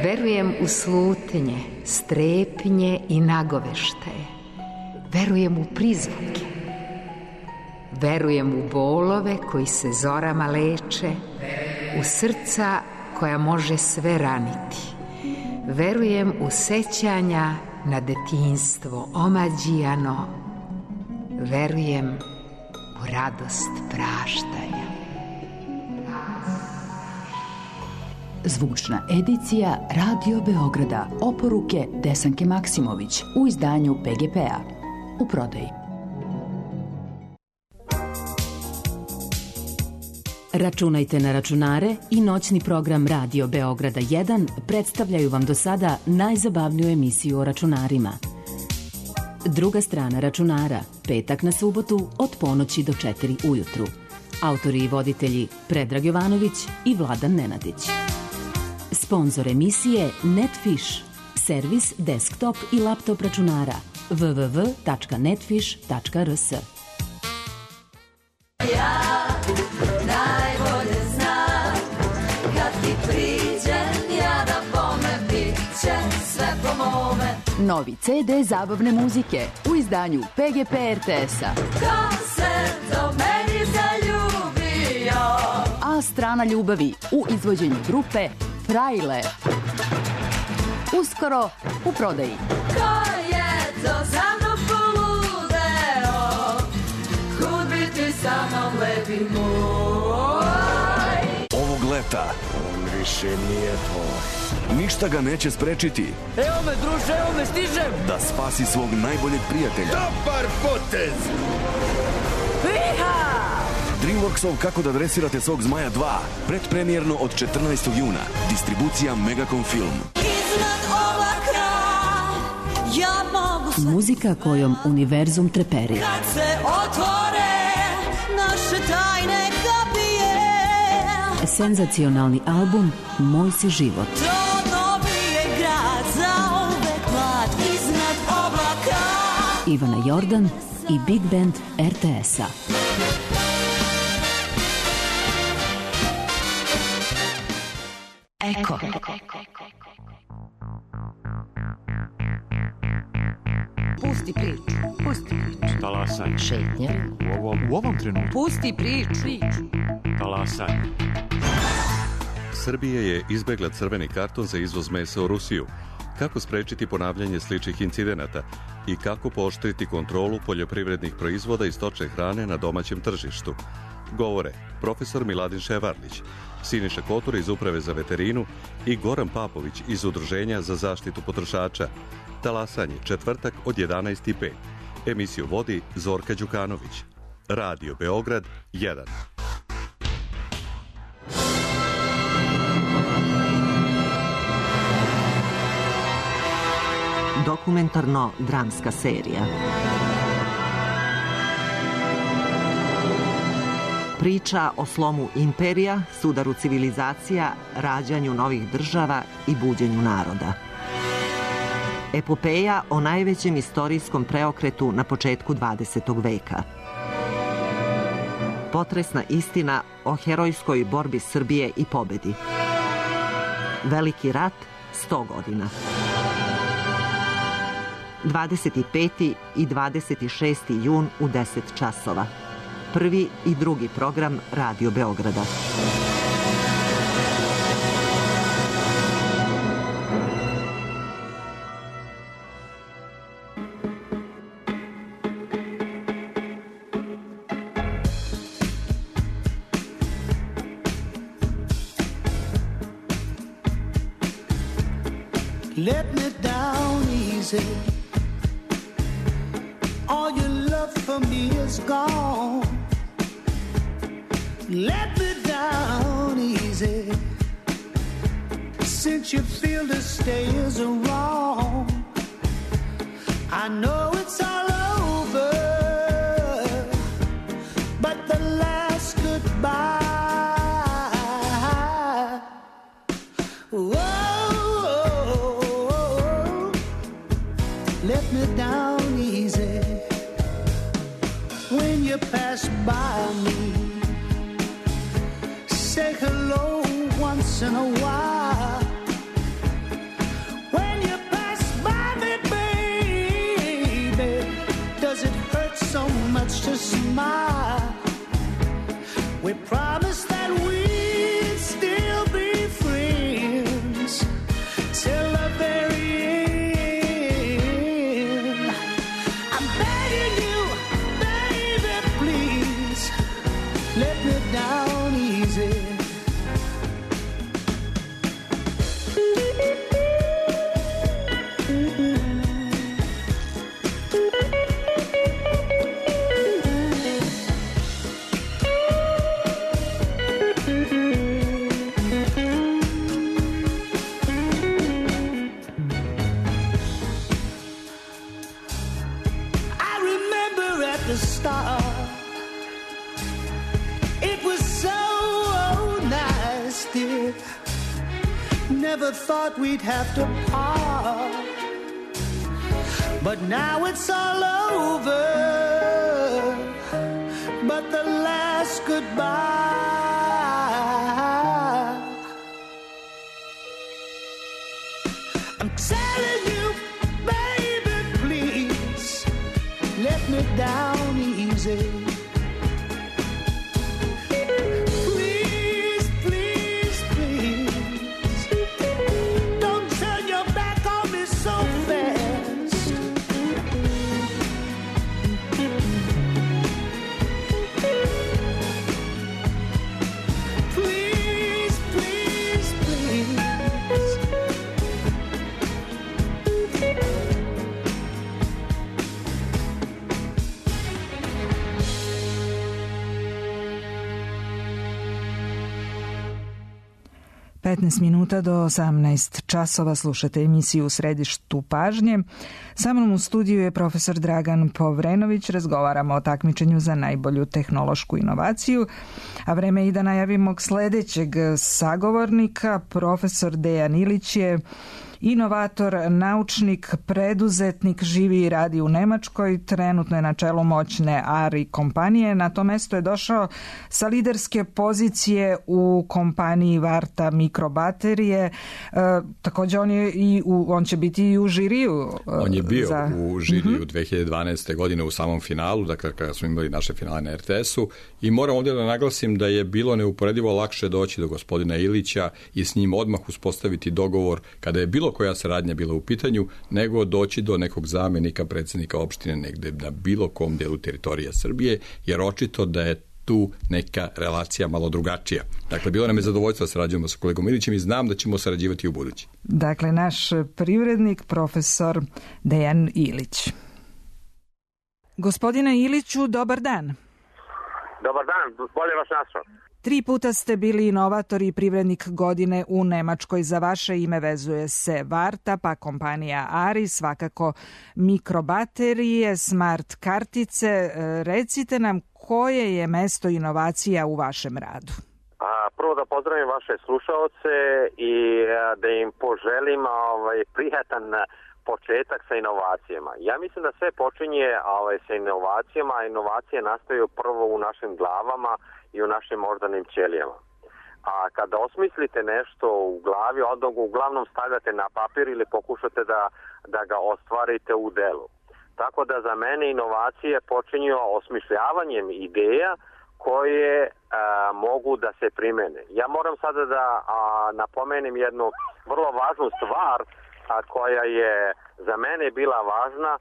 Verujem u slutnje, strepnje i nagoveštaje. Verujem u prizvuke. Verujem u bolove koji se zorama leče, u srca koja može sve raniti. Verujem u sećanja na detinjstvo omađijano. Verujem u radost praštanja. Zvučna edicija Radio Beograda. Oporuke Desanke Maksimović u izdanju P G P-a. U prodaji. Računajte na računare i noćni program Radio Beograda jedan predstavljaju vam do sada najzabavniju emisiju o računarima. Druga strana računara, petak na subotu od ponoći do četiri ujutru. Autori i voditelji Predrag Jovanović i Vladan Nenadić. Sponzor emisije Netfish, servis desktop i laptop računara w w w tačka netfish tačka r s. Ja najbolje znam kad ti priđem ja da bome bit će sve po mome. Novi ce de zabavne muzike u izdanju P G P R T S-a. Ko se do meni zaljubio? A strana ljubavi u izvođenju grupe Frajle. Uskoro u prodaji. Ko je to za mnom poludeo? Kud bi ti sa mnom lepi moj? Ovog leta on više nije tvoj. Ništa ga neće sprečiti. Evo me, druže, evo me, stižem! Da spasi svog najboljeg prijatelja. Dobar potez! Iha! Dreamworksov Kako da dresirate svog zmaja dva. Predpremijerno od četrnaestog juna. Distribucija Megacom Film. Iznad oblaka ja mogu sve. Muzika kojom univerzum treperi. Kad se otvore naše tajne kapije. Senzacionalni album Moj si život. To dobije grad za uvek mlad iznad oblaka. Ivana Jordan i Big Band R T S-a. Eko. Pusti priču. Pusti priču. Talasaj. Šetnja. U ovom, u ovom trenutku. Pusti priču. Talasaj. Srbija je izbegla crveni karton za izvoz mesa u Rusiju. Kako sprečiti ponavljanje sličnih incidenata i kako pooštriti kontrolu poljoprivrednih proizvoda i stočne hrane na domaćem tržištu? Govore profesor Miladin Ševarlić, Siniša Kotor iz Uprave za veterinu i Goran Papović iz Udruženja za zaštitu potrošača. Talasanje, četvrtak od jedanaest i pet. Emisiju vodi Zorka Đukanović. Radio Beograd jedan. Dokumentarno-dramska serija. Priča o slomu imperija, sudaru civilizacija, rađanju novih država i buđenju naroda. Epopeja o najvećem istorijskom preokretu na početku dvadesetog veka. Potresna istina o herojskoj borbi Srbije i pobedi. Veliki rat, sto godina. dvadeset peti i dvadeset šesti jun u deset časova. Prvi i drugi program Radio Beograda. Let me down easy. All your love for me is gone. Let me down easy. Since you feel the stay is wrong, I know it's all over, but the last goodbye. Whoa, let me down easy. When you pass by me, say hello once in a while. When you pass by me, baby, does it hurt so much to smile? start. It was so nice, dear. Never thought we'd have to part. But now it's all over. But the last goodbye, I'm telling you, baby, please let me down easy. Please, please, please, don't turn your back on me so fast. Please, please, please. petnaest minuta do osamnaest časova slušate emisiju U središtu pažnje. Sa mnom u studiju je profesor Dragan Povrenović. Razgovaramo o takmičenju za najbolju tehnološku inovaciju. A vreme je i da najavimo sledećeg sagovornika. Profesor Dejan Ilić je inovator, naučnik, preduzetnik, živi i radi u Nemačkoj, trenutno je na čelu moćne Ari kompanije. Na to mesto je došao sa liderske pozicije u kompaniji Varta mikrobaterije. E, također on je i u, on će biti i u žiriju. E, on je bio za... u žiriju mm-hmm. dve hiljade dvanaeste. godine u samom finalu, dakle kada smo imali naše finale na er te esu, i moram ovdje da naglasim da je bilo neuporedivo lakše doći do gospodina Ilića i s njim odmah uspostaviti dogovor kada je bilo koja saradnja bila u pitanju, nego doći do nekog zamenika predsjednika opštine negde na bilo kom delu teritorija Srbije, jer očito da je tu neka relacija malo drugačija. Dakle, bilo nam je zadovoljstvo da sarađujemo sa kolegom Ilićem i znam da ćemo sarađivati u budući. Dakle, naš privrednik, profesor Dejan Ilić. Gospodine Iliću, dobar dan. Dobar dan, bolje vas našao. Tri puta ste bili inovator i privrednik godine u Nemačkoj. Za vaše ime vezuje se Varta, pa kompanija Ari, svakako mikrobaterije, smart kartice. Recite nam koje je mesto inovacija u vašem radu? A, prvo da pozdravim vaše slušaoce i a, da im poželim ovaj, prijatan početak sa inovacijama. Ja mislim da sve počinje ovaj, sa inovacijama, a inovacije nastaju prvo u našim glavama i u našim moždanim ćelijama. A kada osmislite nešto u glavi, onda ga uglavnom stavljate na papir ili pokušate da, da ga ostvarite u delu. Tako da za mene inovacije počinju osmišljavanjem ideja koje a, mogu da se primene. Ja moram sada da a, napomenem jednu vrlo važnu stvar a, koja je za mene bila važna.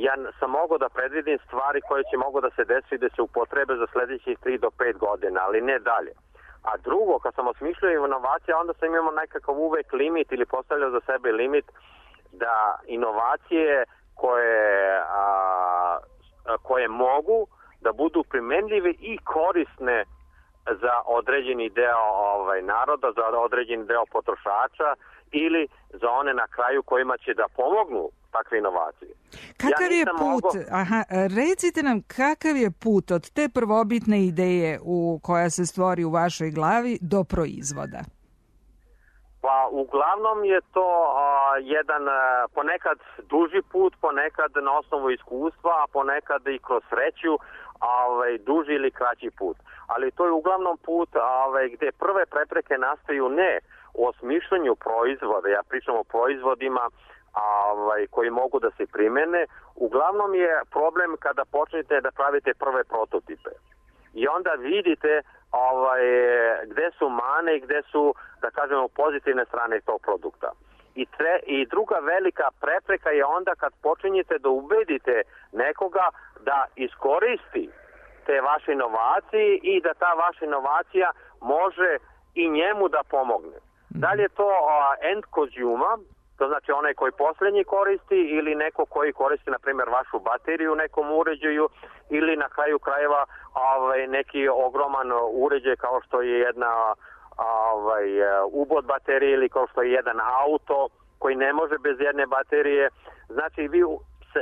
Ja sam mogao da predvidim stvari koje će mogu da se desi da se upotrebe za sljedećih tri do pet godina, ali ne dalje. A drugo, kad sam osmišljao inovacije, onda sam imao nekakav uvek limit ili postavljao za sebe limit da inovacije koje, a, koje mogu da budu primenljive i korisne za određeni deo ovaj, naroda, za određeni deo potrošača ili za one na kraju kojima će da pomognu takve inovacije. Kakav ja je put, mogo... aha, recite nam kakav je put od te prvobitne ideje u koja se stvori u vašoj glavi do proizvoda? Pa uglavnom je to a, jedan a, ponekad duži put, ponekad na osnovu iskustva, a ponekad i kroz sreću, ovaj, duži ili kraći put. Ali to je uglavnom put ovaj, gde prve prepreke nastaju ne u osmišljanju proizvoda, ja pričam o proizvodima ovaj, koji mogu da se primene, uglavnom je problem kada počnete da pravite prve prototipe. I onda vidite ovaj, gde su mane i gde su, da kažemo, pozitivne strane tog produkta. I, tre, I druga velika prepreka je onda kad počinjete da ubedite nekoga da iskoristi te vaše inovacije i da ta vaša inovacija može i njemu da pomogne. Da li je to uh, end consumer, to znači onaj koji posljednji koristi ili neko koji koristi, na primjer, vašu bateriju u nekom uređaju ili na kraju krajeva ovaj, neki ogroman uređaj kao što je jedna ovaj, ubod baterije ili kao što je jedan auto koji ne može bez jedne baterije. Znači vi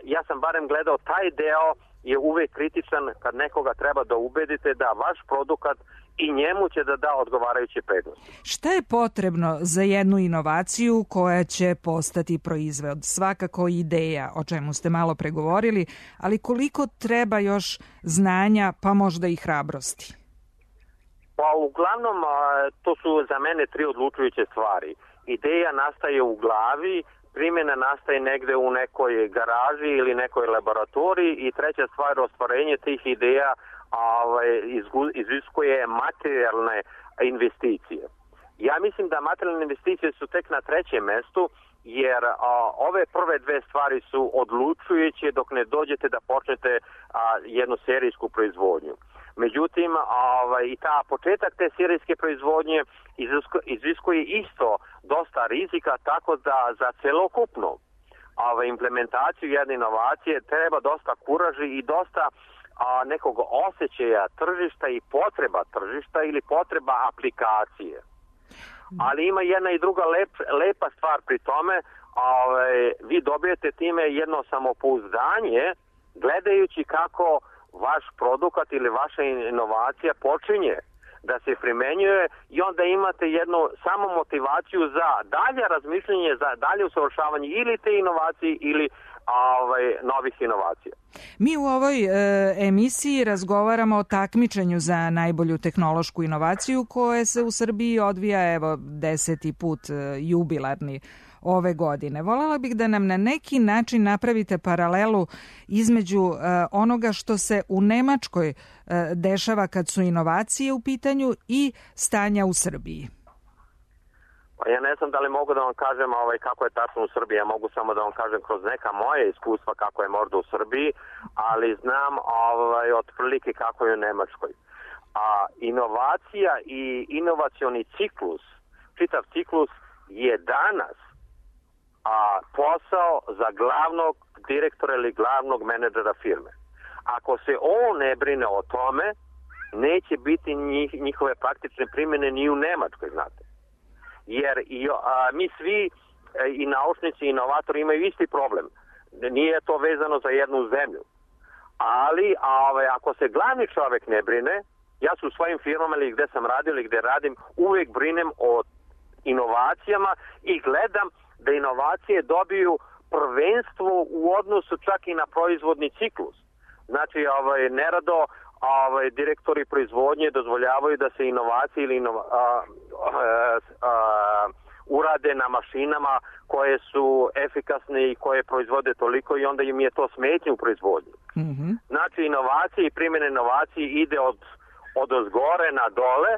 ja sam barem gledao taj deo je uvek kritičan kad nekoga treba da ubedite da vaš produkat i njemu će da da odgovarajuće prednosti. Šta je potrebno za jednu inovaciju koja će postati proizvod? Svakako ideja, o čemu ste malo pregovorili, ali koliko treba još znanja, pa možda i hrabrosti? Pa uglavnom to su za mene tri odlučujuće stvari. Ideja nastaje u glavi, primjena nastaje negde u nekoj garaži ili nekoj laboratoriji i treća stvar, ostvarenje tih ideja ovaj, iziskuje materijalne investicije. Ja mislim da materijalne investicije su tek na trećem mestu, jer a, ove prve dve stvari su odlučujuće dok ne dođete da počnete a, jednu serijsku proizvodnju. Međutim, ovaj, i ta početak te serijske proizvodnje iziskuje isto dosta rizika, tako da za celokupnu ovaj, implementaciju jedne inovacije treba dosta kuraži i dosta a, nekog osjećaja tržišta i potreba tržišta ili potreba aplikacije. Ali ima jedna i druga lep, lepa stvar pri tome, ovaj, vi dobijete time jedno samopouzdanje gledajući kako vaš produkt ili vaša inovacija počinje da se primenjuje i onda imate jednu samo motivaciju za dalje razmišljanje, za dalje usavršavanje ili te inovacije ili ovaj, novih inovacija. Mi u ovoj e, emisiji razgovaramo o takmičenju za najbolju tehnološku inovaciju koje se u Srbiji odvija evo deseti put e, jubilarni ove godine. Voljela bih da nam na neki način napravite paralelu između uh, onoga što se u Nemačkoj uh, dešava kad su inovacije u pitanju i stanja u Srbiji. Pa ja ne znam da li mogu da vam kažem ovaj, kako je tačno u Srbiji, ja mogu samo da vam kažem kroz neka moje iskustva kako je možda u Srbiji, ali znam ovaj, otprilike kako je u Nemačkoj. A inovacija i inovacioni ciklus, čitav ciklus je danas a posao za glavnog direktora ili glavnog menadžera firme. Ako se on ne brine o tome, neće biti njih, njihove praktične primjene ni u Nemačkoj, znate. Jer i, a, mi svi i naučnici i inovatori imaju isti problem. Nije to vezano za jednu zemlju. Ali a, ove, ako se glavni čovjek ne brine, ja su u svojim firmama ili gde sam radio ili gde radim, uvijek brinem o inovacijama i gledam da inovacije dobiju prvenstvo u odnosu čak i na proizvodni ciklus. Znači, ovaj, nerado ovaj, direktori proizvodnje dozvoljavaju da se inovacije ili inova, a, a, a, urade na mašinama koje su efikasne i koje proizvode toliko i onda im je to smetnje u proizvodnji. Mm-hmm. Znači, inovacije i primjene inovacije ide od, od ozgore na dole,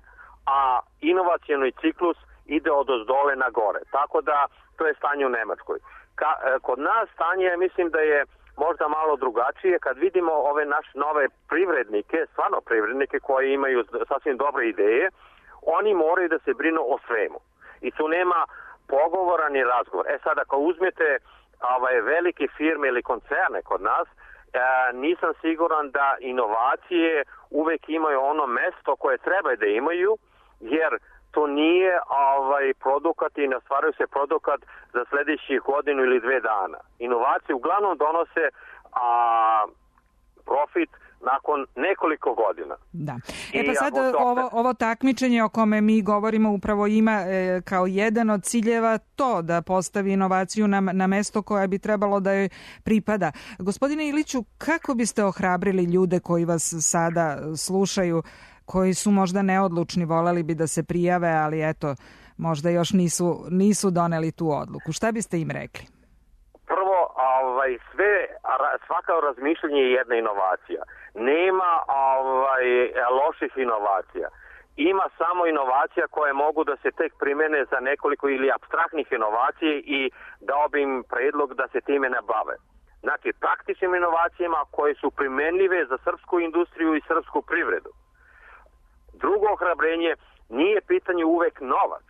a inovacioni ciklus ide od ozdole na gore. Tako da to je stanje u Nemačkoj. Ka, kod nas stanje mislim da je možda malo drugačije kad vidimo ove naše nove privrednike, stvarno privrednike koji imaju sasvim dobre ideje, oni moraju da se brinu o svemu. I tu nema pogovora ni razgovor. E sad ako uzmete ovaj, velike firme ili koncerne kod nas, e, nisam siguran da inovacije uvek imaju ono mesto koje treba da imaju, jer to nije ovaj produkat i ne ostvaruje se produkat za sljedećih godinu ili dve dana. Inovacije uglavnom donose a, profit nakon nekoliko godina. Da. E pa sad ovo, ovo takmičenje o kome mi govorimo upravo ima e, kao jedan od ciljeva to da postavi inovaciju na, na mesto koje bi trebalo da joj pripada. Gospodine Iliću, kako biste ohrabrili ljude koji vas sada slušaju, koji su možda neodlučni, voleli bi da se prijave, ali eto, možda još nisu, nisu doneli tu odluku. Šta biste im rekli? Prvo, ovaj, sve, svaka razmišljanje je jedna inovacija. Nema ovaj, loših inovacija. Ima samo inovacija koje mogu da se tek primene za nekoliko ili apstraktnih inovacije i dao bi im predlog da se time ne bave. Znači, praktičnim inovacijama koje su primenljive za srpsku industriju i srpsku privredu. Drugo ohrabrenje, nije pitanje uvek novac.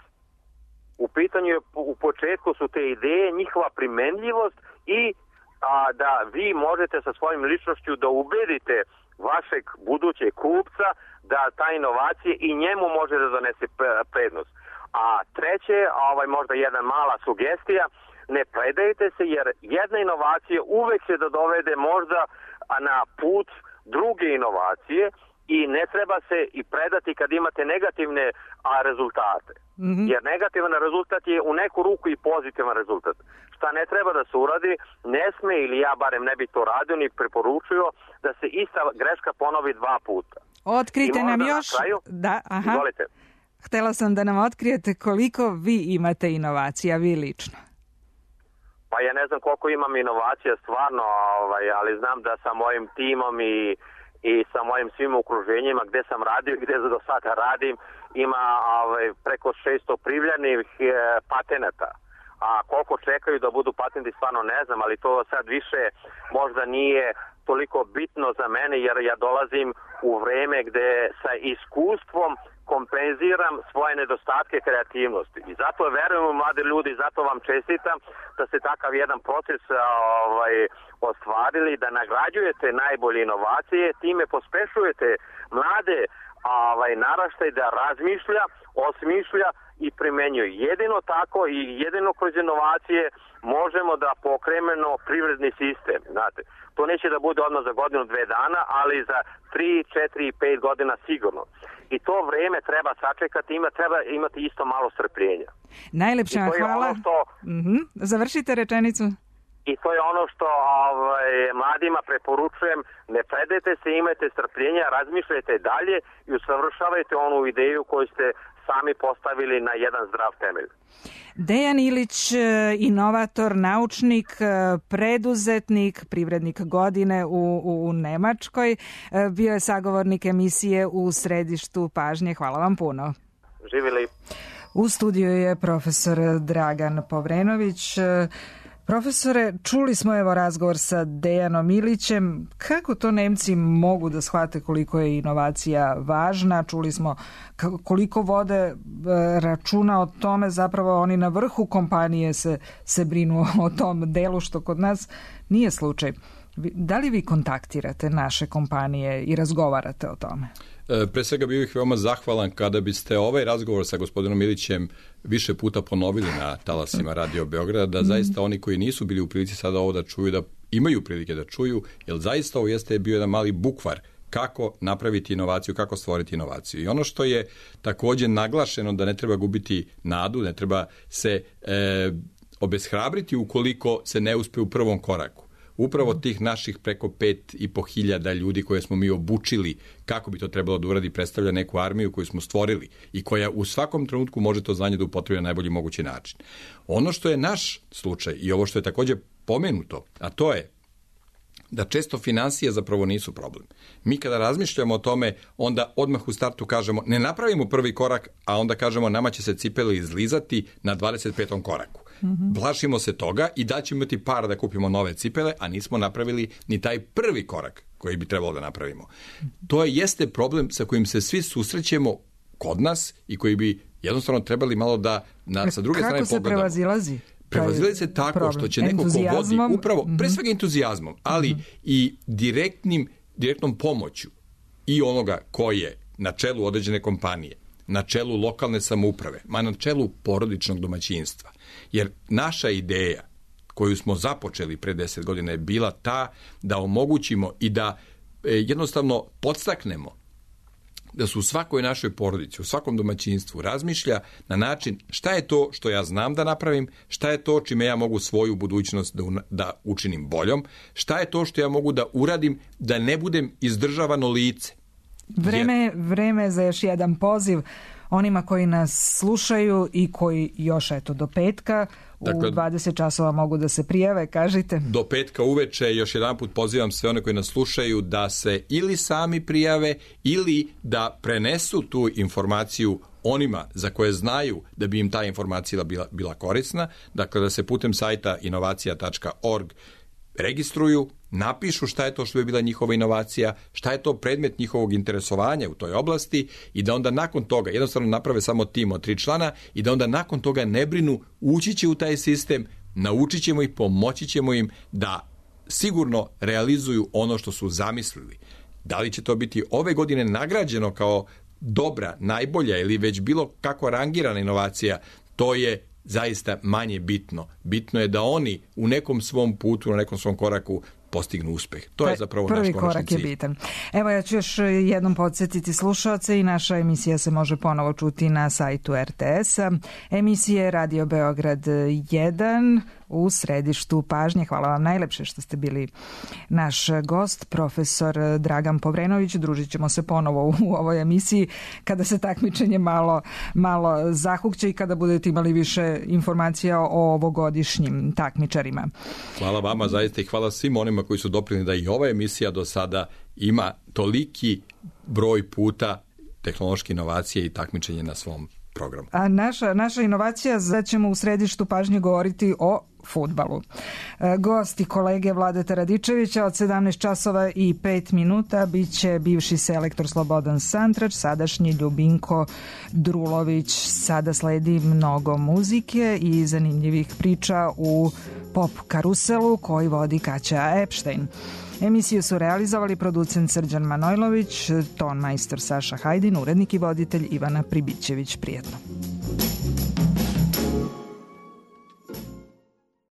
U pitanju u početku su te ideje, njihova primenljivost i a, da vi možete sa svojim ličnošću da ubedite vašeg budućeg kupca da ta inovacija i njemu može da donese prednost. A treće, ovaj možda jedna mala sugestija, ne predajte se, jer jedna inovacija uvek će da dovede možda na put druge inovacije i ne treba se i predati kad imate negativne a, rezultate. Mm-hmm. Jer negativan rezultat je u neku ruku i pozitivan rezultat. Šta ne treba da se uradi, ne sme, ili ja barem ne bi to radio ni preporučio, da se ista greška ponovi dva puta. Otkrite nam još... Kraju, da, aha. Izvolite. Htela sam da nam otkrijete koliko vi imate inovacija, vi lično. Pa ja ne znam koliko imam inovacija stvarno, ovaj, ali znam da sa mojim timom i, i sa mojim svim okruženjima gde sam radio i gde do sada radim, ima ovaj, preko šesto privljenih e, patenata. A koliko čekaju da budu patenti stvarno ne znam, ali to sad više možda nije toliko bitno za mene, jer ja dolazim u vreme gde sa iskustvom kompenziram svoje nedostatke kreativnosti. I zato verujem u mlade ljudi, zato vam čestitam da ste takav jedan proces ovaj, ostvarili, da nagrađujete najbolje inovacije, time pospešujete mlade ovaj, naraštaj da razmišlja, osmišlja i primenjuje. Jedino tako i jedino kroz inovacije možemo da pokrenemo privredni sistem. Znate, to neće da bude odmah za godinu, dve dana, ali za tri, četiri, pet godina sigurno. I to vreme treba sačekati, ima, treba imati isto malo strpljenja. Najlepša hvala. Ono što, mm-hmm. Završite rečenicu. I to je ono što ovaj, mladima preporučujem, ne predajte se, imajte strpljenja, razmišljajte dalje i usavršavajte onu ideju koju ste sami postavili na jedan zdrav temelj. Dejan Ilić, inovator, naučnik, preduzetnik, privrednik godine u, u Nemačkoj, bio je sagovornik emisije U središtu pažnje. Hvala vam puno. Živjeli. U studiju je profesor Dragan Povrenović. Profesore, čuli smo evo razgovor sa Dejanom Ilićem. Kako to Nemci mogu da shvate koliko je inovacija važna? Čuli smo koliko vode računa o tome, zapravo oni na vrhu kompanije se, se brinu o tom delu, što kod nas nije slučaj. Da li vi kontaktirate naše kompanije i razgovarate o tome? Pre svega bih veoma zahvalan kada biste ovaj razgovor sa gospodinom Ilićem više puta ponovili na talasima Radio Beograda, da zaista oni koji nisu bili u prilici sada ovo da čuju, da imaju prilike da čuju, jer zaista ovo jeste bio jedan mali bukvar kako napraviti inovaciju, kako stvoriti inovaciju. I ono što je također naglašeno, da ne treba gubiti nadu, ne treba se e, obeshrabriti ukoliko se ne uspe u prvom koraku. Upravo tih naših preko pet i po hiljada ljudi koje smo mi obučili kako bi to trebalo da uradi predstavlja neku armiju koju smo stvorili i koja u svakom trenutku može to znanje da upotrebi na najbolji mogući način. Ono što je naš slučaj i ovo što je također pomenuto, a to je da često finansije zapravo nisu problem. Mi kada razmišljamo o tome, onda odmah u startu kažemo ne napravimo prvi korak, a onda kažemo nama će se cipele izlizati na dvadeset petom koraku. Mm-hmm. Plašimo se toga i da ćemo imati par da kupimo nove cipele, a nismo napravili ni taj prvi korak koji bi trebalo da napravimo. To jeste problem sa kojim se svi susrećemo kod nas i koji bi jednostavno trebali malo da na, sa druge strane pogledamo. Kako se prevazilazi? Prevazilazi se tako problem. Što će neko ko vodi, upravo, pre svega entuzijazmom, ali mm-hmm. i direktnim, direktnom pomoću i onoga ko je na čelu određene kompanije, na čelu lokalne samouprave, ma na čelu porodičnog domaćinstva. Jer naša ideja koju smo započeli pre deset godina je bila ta da omogućimo i da e, jednostavno podstaknemo da su u svakoj našoj porodici, u svakom domaćinstvu razmišlja na način šta je to što ja znam da napravim, šta je to čime ja mogu svoju budućnost da, da učinim boljom, šta je to što ja mogu da uradim da ne budem izdržavano lice. Vreme, vreme za još jedan poziv onima koji nas slušaju i koji još eto do petka u dakle, dvadeset časova mogu da se prijave, kažite. Do petka uveče još jedan put pozivam sve one koji nas slušaju da se ili sami prijave ili da prenesu tu informaciju onima za koje znaju da bi im ta informacija bila, bila korisna. Dakle, da se putem sajta inovacija tačka org registruju, napišu šta je to što bi bila njihova inovacija, šta je to predmet njihovog interesovanja u toj oblasti i da onda nakon toga jednostavno naprave samo tim od tri člana i da onda nakon toga ne brinu, ući će u taj sistem, naučit ćemo ih, pomoći ćemo im da sigurno realizuju ono što su zamislili. Da li će to biti ove godine nagrađeno kao dobra, najbolja ili već bilo kako rangirana inovacija, to je zaista manje bitno. Bitno je da oni u nekom svom putu, na nekom svom koraku postignu uspeh. To je zapravo naš konačni cilj. Prvi korak je bitan. Evo, ja ću još jednom podsjetiti slušaoce i naša emisija se može ponovo čuti na sajtu er te es-a. Emisije Radio Beograd jedan u središtu pažnje. Hvala vam najlepše što ste bili naš gost, profesor Dragan Povrenović. Družit ćemo se ponovo u ovoj emisiji kada se takmičenje malo, malo zahukće i kada budete imali više informacija o ovogodišnjim takmičarima. Hvala vama zaista i hvala svim onima koji su doprinijeli da i ova emisija do sada ima toliki broj puta tehnološke inovacije i takmičenje na svom programu. A naša, naša inovacija, da ćemo u središtu pažnje govoriti o fudbalu. Gosti kolege Vladeta Radičevića od sedamnaest časova i pet minuta biće bivši selektor Slobodan Santrač, sadašnji Ljubinko Drulović. Sada sledi mnogo muzike i zanimljivih priča u pop karuselu koji vodi Kaća Epstein. Emisiju su realizovali producent Srđan Manojlović, ton majstor Saša Hajdin, urednik i voditelj Ivana Pribićević. Prijetno.